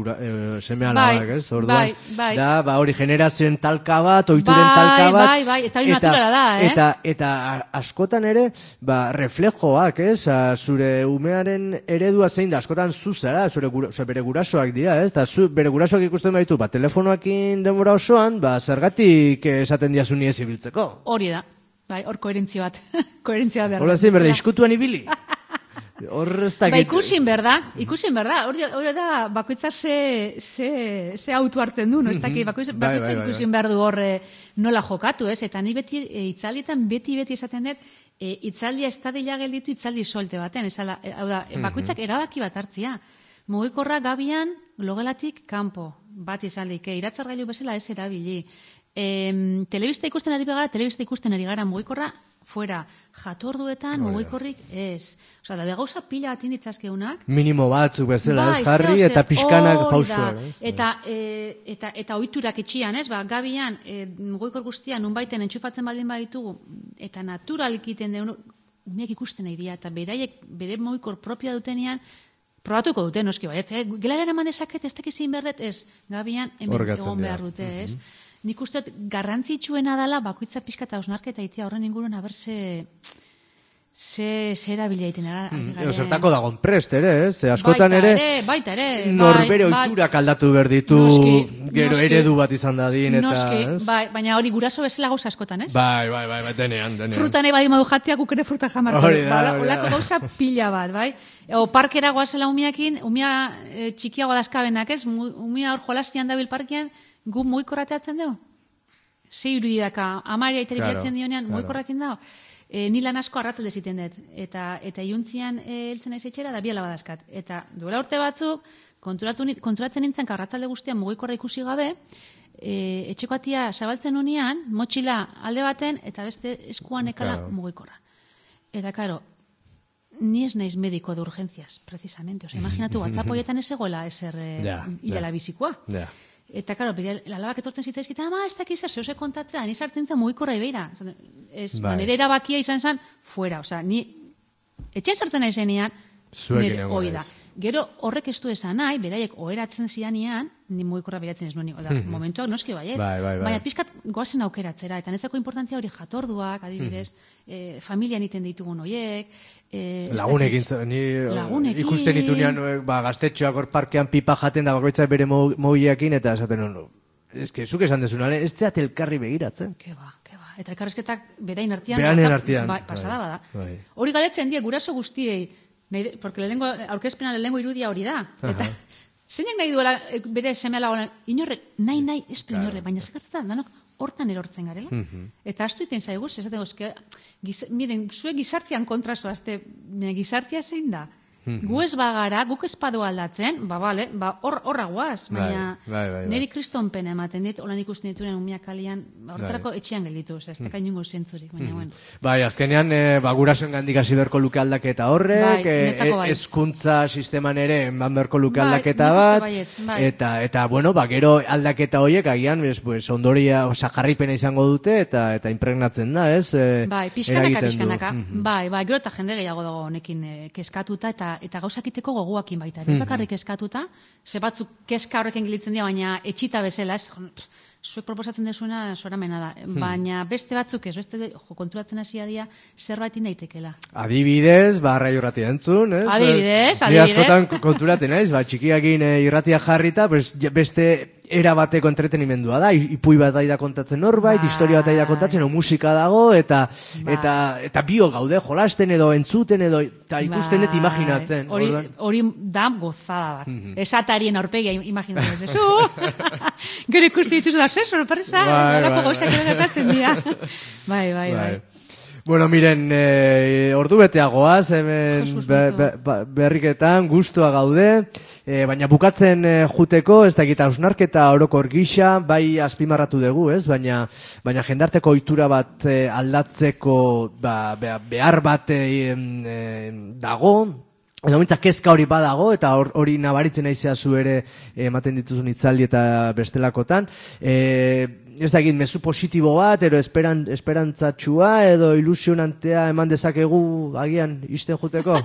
seme-alabak, ez? Orduan, da, hori generazioen talka bat, ohituren talka bat. Bai, eta hori naturala da, Eta askotan ere, reflejoak, ez? Zure umearen eredua zein da, askotan zuzara, bere gurasoak dira, ez? Eta bere gurasoak ikusten baitu, telefonoakin denbora osoan, zergatik esaten diazu ni ez ibiltzeko. Hori da, hor koherentzia bat. Koherentzia behar. Hola zein, berde, iskutuan ibili? Ikusin berda, hori da, bakoitza ze autu hartzen du, bakoitza ikusin behar du horre nola jokatu, ez? Eta ni beti, itzaldietan beti esaten dut, itzaldia estadila gelditu itzaldi solte baten, hau da, bakoitzak erabaki bat hartzia. Mugikorra gabian, logelatik kanpo, bat izaldik, iratzargailu bezala ez erabili. Telebista ikusten ari gara, mugikorra fuera, jatorduetan mugikorrik ez. Osa, da gauza pila bat inditzazkeunak. Minimo batzuk bezala, ez jarri, eta pixkanak pausuak. Eta ohiturak etxian, ez? Gabian, mugikor guztian, nunbaiten entxufatzen baldin baditugu, eta naturalkiten deun, umeak ikusten nahi dira, eta beraiek, bere mugikor propia dutenean, probatuko dute, noski baiet. Gelarera eman dezaket, ez dakizin berdet, ez? Gabian, hemen egon behar dute, ez? Nik uste garrantzitsuena dela bakoitza pixka eta osnarketa itzia horren inguruen haber ze erabila egiten. Zertako dagoen prest ere, ez? Askotan ere, norbere ohiturak aldatu behar ditu, gero eredu bat izan dadin, eta... Baina hori guraso bezala gauza askotan, ez? Bai, denean. Fruta nahi badi madu jateak ukene fruta jamarko. Olako gauza pila bat, bai? O parkera goazela umiakin, umia txikiago dazkabenak, ez? Umia hor jolastian dabil parkean, gu mugikorrateatzen dugu? Ze irudidaka, amaria iteri bilatzen dionean, mugikorrakin dago? Ni lan asko arratzalde ziten dut. Eta iuntzian heltzen naiz etxera, da biala badazkat. Eta duela urte batzuk, konturatzen nintzen, arratzalde guztian mugikorra ikusi gabe, etxeko atia zabaltzen unean, motxila alde baten, eta beste eskuan ekala mugikorra. Eta, karo, ni ez naiz mediko de urgencias, precisamente. Imaginatu, WhatsApp hoietan ez egoela eser hilala bizikoa. Eta, karo, lalabak etortzen zitzaizkitan, ez dakiz zer, zehose kontatzea, ni sartzen zen mugikorra ibeira. Nire erabakia izan zen, fuera. Ni etxean sartzen nahi zenean, nire hoi da. Gero horrek ez du esan nahi, beraiek oheratzen zianean, ni mugikorra beratzen ez nuen. Momentuak noski baiet. Baina pixkat goazen aukeratzera. Eta nezako importantzia hori jatorduak, adibidez, familian iten ditugun horiek. Lagunekin, ikusten ditunean gaztetxoak hor parkean pipa jaten da bakoitzak bere mogiakin, eta esaten honu. Ez que, zuk esan dezuna, ez zeat elkarri begiratzen. Keba. Eta elkarrezketak berain artian. Berain artian. Pasada bada. Hori galetzen die, guraso guztiei. Porque aurkezpena lehenengo irudia hori da. zeinak nahi duela bere seme-alaba, inorrek, nahi, ez du inorrek, baina zekartetan, danok, hortan erortzen garela. Eta astu iten zaigu, esaten gozke, miren, zuek gizartian kontrazoazte, gizartia zein da? Gu ez bagara, guk ez padu aldatzen, horra guaz, baina niri kriston pena ematen dit, holan ikusten dituren umiak kalian, horretarako etxean gelditu, ez teka inungo zentzurik, baina bueno. Bai, azkenean, gurasoen gandik hasi berko luke aldaketa horrek, hezkuntza sisteman ere eman berko luke aldaketa bat, eta, bueno, gero aldaketa horiek agian, ondoria, jarripena izango dute, eta impregnatzen da, ez? Bai, pixkanaka. Bai, gero eta jende gehiago dago honekin keskatuta, eta gauzakiteko goguakin baita. Ez bakarrik eskatuta, ze batzuk keska horrekin gilitzen dira, baina etxita bezala, ez, zuek proposatzen desuena soramena da. Baina beste batzuk ez, beste konturatzen hasia dira, zerbait indaitekela. Adibidez, radio irratia entzun, ez? Adibidez. Ni askotan konturatzen, ez? Txikiakin irratia jarrita, beste era bateko entretenimendua da, ipui bat da kontatzen norbait, historia bat da kontatzen, musika dago, eta bio gaude, jolasten edo, entzuten edo, eta ikusten dut imaginatzen. Hori da gozada bat. Esatarien aurpegia imaginatzen dezu. Gero ikusten dituzu da, sorpresa, horako gauzak ere gertatzen dira. Bai. Bueno, miren, ordu beteagoaz, hemen berriketan, gustua gaude, baina bukatzen juteko, ez da egita ausnarketa orokor gisa, bai azpimarratu dugu, ez? Baina jendarteko ohitura bat aldatzeko behar bat dago, edo mintzak kezka hori badago, eta hori nabaritzen aizea zu ere ematen dituzun itzaldi eta bestelakotan. Ez da egin, mezu positibo bat, edo esperantzatxua, edo ilusionantea eman dezakegu agian isten juteko?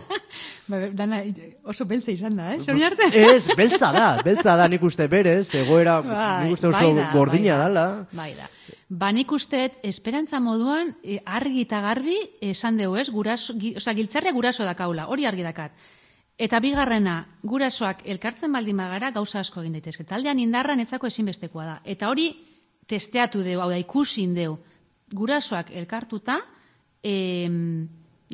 Dana, oso beltza izan da, Zori arte? Ez, beltza da, nik uste berez, egoera, nik uste oso gordina dala. Bai da. Nik uste, esperantza moduan, argi eta garbi, esan dugu ez, giltzarria guraso dakaula, hori argi dakat. Eta bigarrena, gurasoak elkartzen baldin bagara, gauza asko egin daitezke. Taldean indarra netzako ezinbestekoa da. Eta hori, testeatu deu, hau da, ikusin deu, gurasoak elkartuta,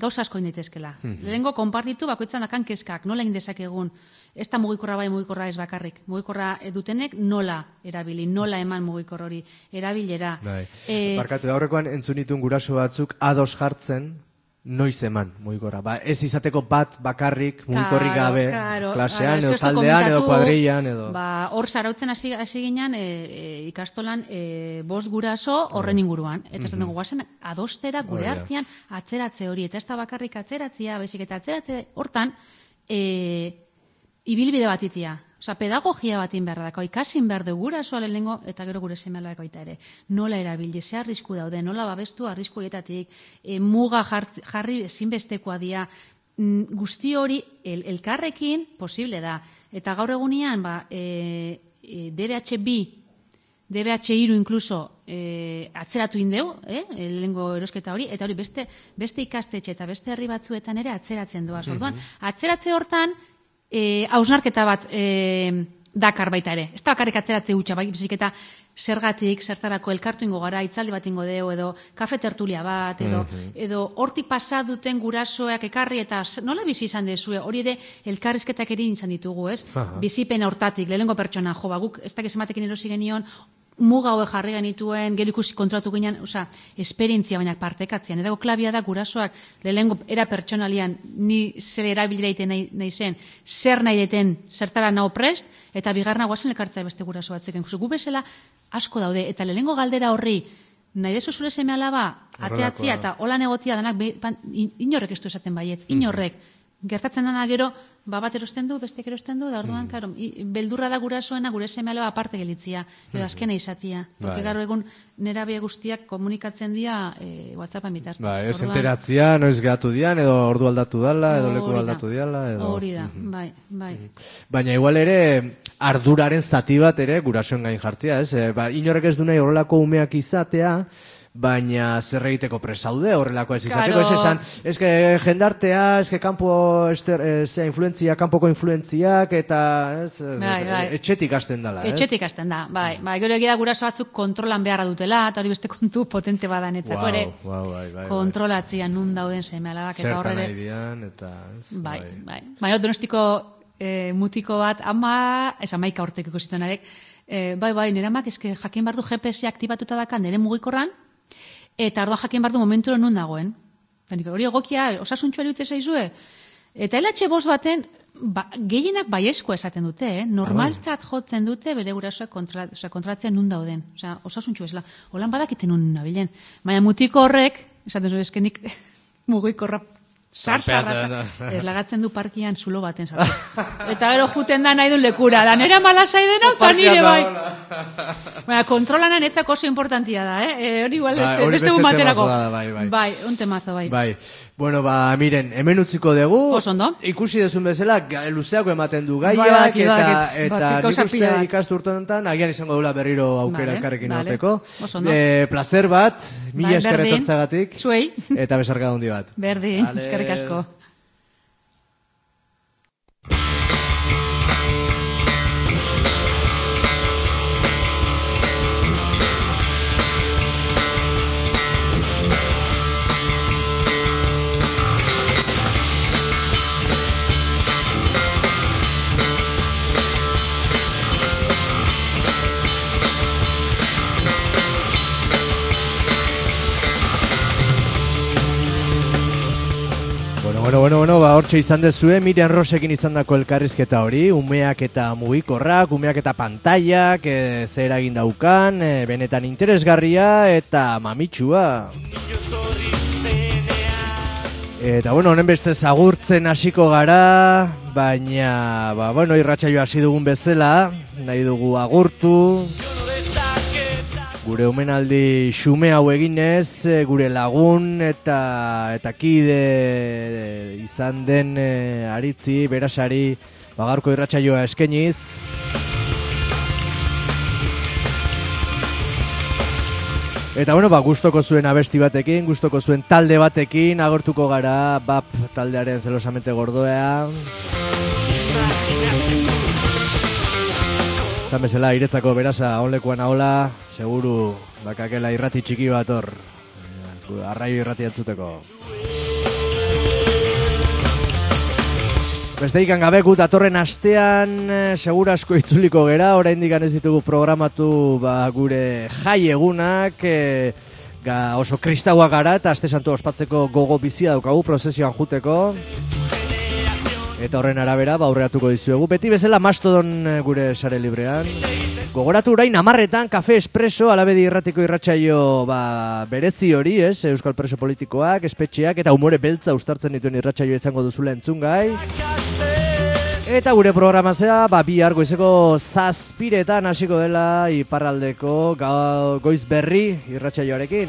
gauza asko inditezkela. Lehenengo, konpartitu, bakoitzan dakan kezkak, nola egin dezakegun, ez da mugikorra bai, mugikorra ez bakarrik. Mugikorra dutenek nola erabili, nola eman mugikor hori, erabilera. Barkatu, aurrekoan entzunitun guraso batzuk ados jartzen, noiz eman mugikorra. Ez izateko bat bakarrik mugikorrik gabe klasean, edo taldean, edo kuadrillan, edo... Hor zarautzen hasi ginen ikastolan 5 guraso horren inguruan. Eta ez dugu guazen adostera gure artean atzeratze hori. Eta ez da bakarrik atzeratzea, baizik eta atzeratze hortan ibilbide bat itia. Osa, pedagogia batin behar dako, ikasin behar du gurasoa lehenengo, eta gero gure seme-alabak baita ere. Nola erabili, ze arrisku daude, nola babestu arriskuetatik, muga jarri ezinbestekoa dira, guzti hori elkarrekin posible da. Eta gaur egunean, DBH2, DBH3 inkluso atzeratu indeu, lehenengo erosketa hori, eta hori beste ikastetxe eta beste herri batzuetan ere atzeratzen doa. Orduan, atzeratze hortan, hausnarketa bat dakar baita ere. Ez da bakarrik atzeratze hutsa, baizik eta zergatik, zertarako elkartu ingo gara, itzaldi bat ingo deu, edo kafe tertulia bat, edo hortik pasa duten gurasoak ekarri, eta nola bizi izan dezue, hori ere elkarrizketak ere izan ditugu, ez? Bizipen hortatik, lehenengo pertsona, guk ez dakiz ematekin erosi genion, muga hoe jarri genituen, gero ikusi kontratu ginen, esperientzia baina partekatzean. Edago klabia da gurasoak lehenengo era pertsonalian ni zer erabilira iten nahi zen, zer nahi deten, zertara naho prest, eta bigarna guazen lekartzea beste guraso batzuk. Gu bezala asko daude, eta lehenengo galdera horri, nahi dezu zure seme-alaba, ateatzia eta holan egotia danak, inorrek ez du esaten baiet, inorrek. Gertatzen dena gero, bat erosten du, bestek erosten du, da orduan, beldurra da gurasoena, gure seme-alaba aparte gelitzia, edo azkena izatia. Porque garo egun nerabe guztiak komunikatzen dira WhatsAppan bitartez. Ez enteratzia, noiz gehatu dian, edo ordu aldatu dala, edo leku aldatu diala. Hori da, bai. Baina igual ere, arduraren zati bat ere gurasoen gain jartzia, ez? Inorrek ez du nahi horrelako umeak izatea, baina zer egiteko presaude horrelako ez izateko, ez esan, eske jendartea, eske kanpoko influentziak, eta etxetik hasten dela, ez? Etxetik hasten da, bai. Gero egia guraso batzuk kontrolan beharra dutela, eta hori beste kontu potente badan etzako ere. Kontrolatzia nun dauden seme-alabak, eta horre... Zertan nahi dian, eta... Bai. Baina Donostiko mutiko bat, amaika hortek ikusitan arek, bai, nire amak eske jakin bardu GPS aktibatuta dakan nire mugikorran, eta orduan jakin bardu momentu nun dagoen. Hori egokia, osasuntxua iruditzen zaizue. Eta LH5 baten, gehienak baiezkoa esaten dute, normaltzat jotzen dute bere gurasoak kontrolatzen nun dauden. Osasuntxua esela, holan badakiten nun nabilen. Baina mutiko horrek, esaten zuen eskenik mugikorra sartzarra, lagatzen du parkian zulo baten sartu. Eta gero juten da nahi du lekura, da nera malasai dena, eta nire bai. Baina, kontrolanan etzako oso importantia da, hori igual beste gumaterako. Bai, un temazo, bai. Bueno, miren, hemen utziko dugu. Osondo. Ikusi dezun bezala, luzeako ematen du gaiak, eta nik uste ikasturtenetan, agian izango dula berriro aukera elkarrekin egoteko. Placer bat, mila esker etortzagatik. Zuei. Eta besarka handi bat. Berdin, eskerrik asko. Bueno, hortxe izan dezue, Miriam Rosekin izan dako elkarrizketa hori, umeak eta mugikorrak, umeak eta pantailak, zer egin daukan, benetan interesgarria eta mamitsua. Eta honen beste zagurtzen hasiko gara, baina, irratsaioa hasi dugun bezala, nahi dugu agurtu. Gure omenaldi xume hau eginez, gure lagun eta kide izan den aritzi, berasari, gaurko irratsaioa eskeniz. Eta gustoko zuen abesti batekin, gustoko zuen talde batekin, agortuko gara, BAP taldearen zelosamente gordoa. Zan bezala, iretzako berasa onlekuan ahola, seguru bakakela irrati txiki bat hor, arraio irrati entzuteko. Besteik gabe gu datorren astean segura asko itzuliko gera, oraindik ez ditugu programatu gure jai egunak, oso kristaua gara eta aste santu ospatzeko gogo bizia daukagu prozesioan juteko. Eta horren arabera, aurreatuko dizuegu. Beti bezala Mastodon gure sare librean. Gogoratu orain 10:00 Kafe Espresso, Alabedi irratiko irratsaio berezi hori, Euskal Preso politikoak, espetxeak eta umore beltza uztartzen dituen irratsaio izango duzula entzungai. Eta gure programazea, bihar goizeko 7:00 hasiko dela iparraldeko goiz berri irratsaioarekin.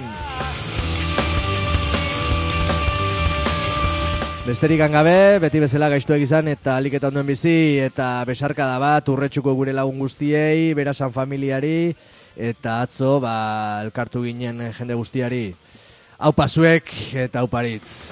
Besterik gabe, beti bezala gaiztuak izan eta aliketa ondoen bizi eta besarkada bat urretsuko gure lagun guztiei, berasan familiari eta atzo elkartu ginen jende guztiari. Aupa zuek eta auparitz.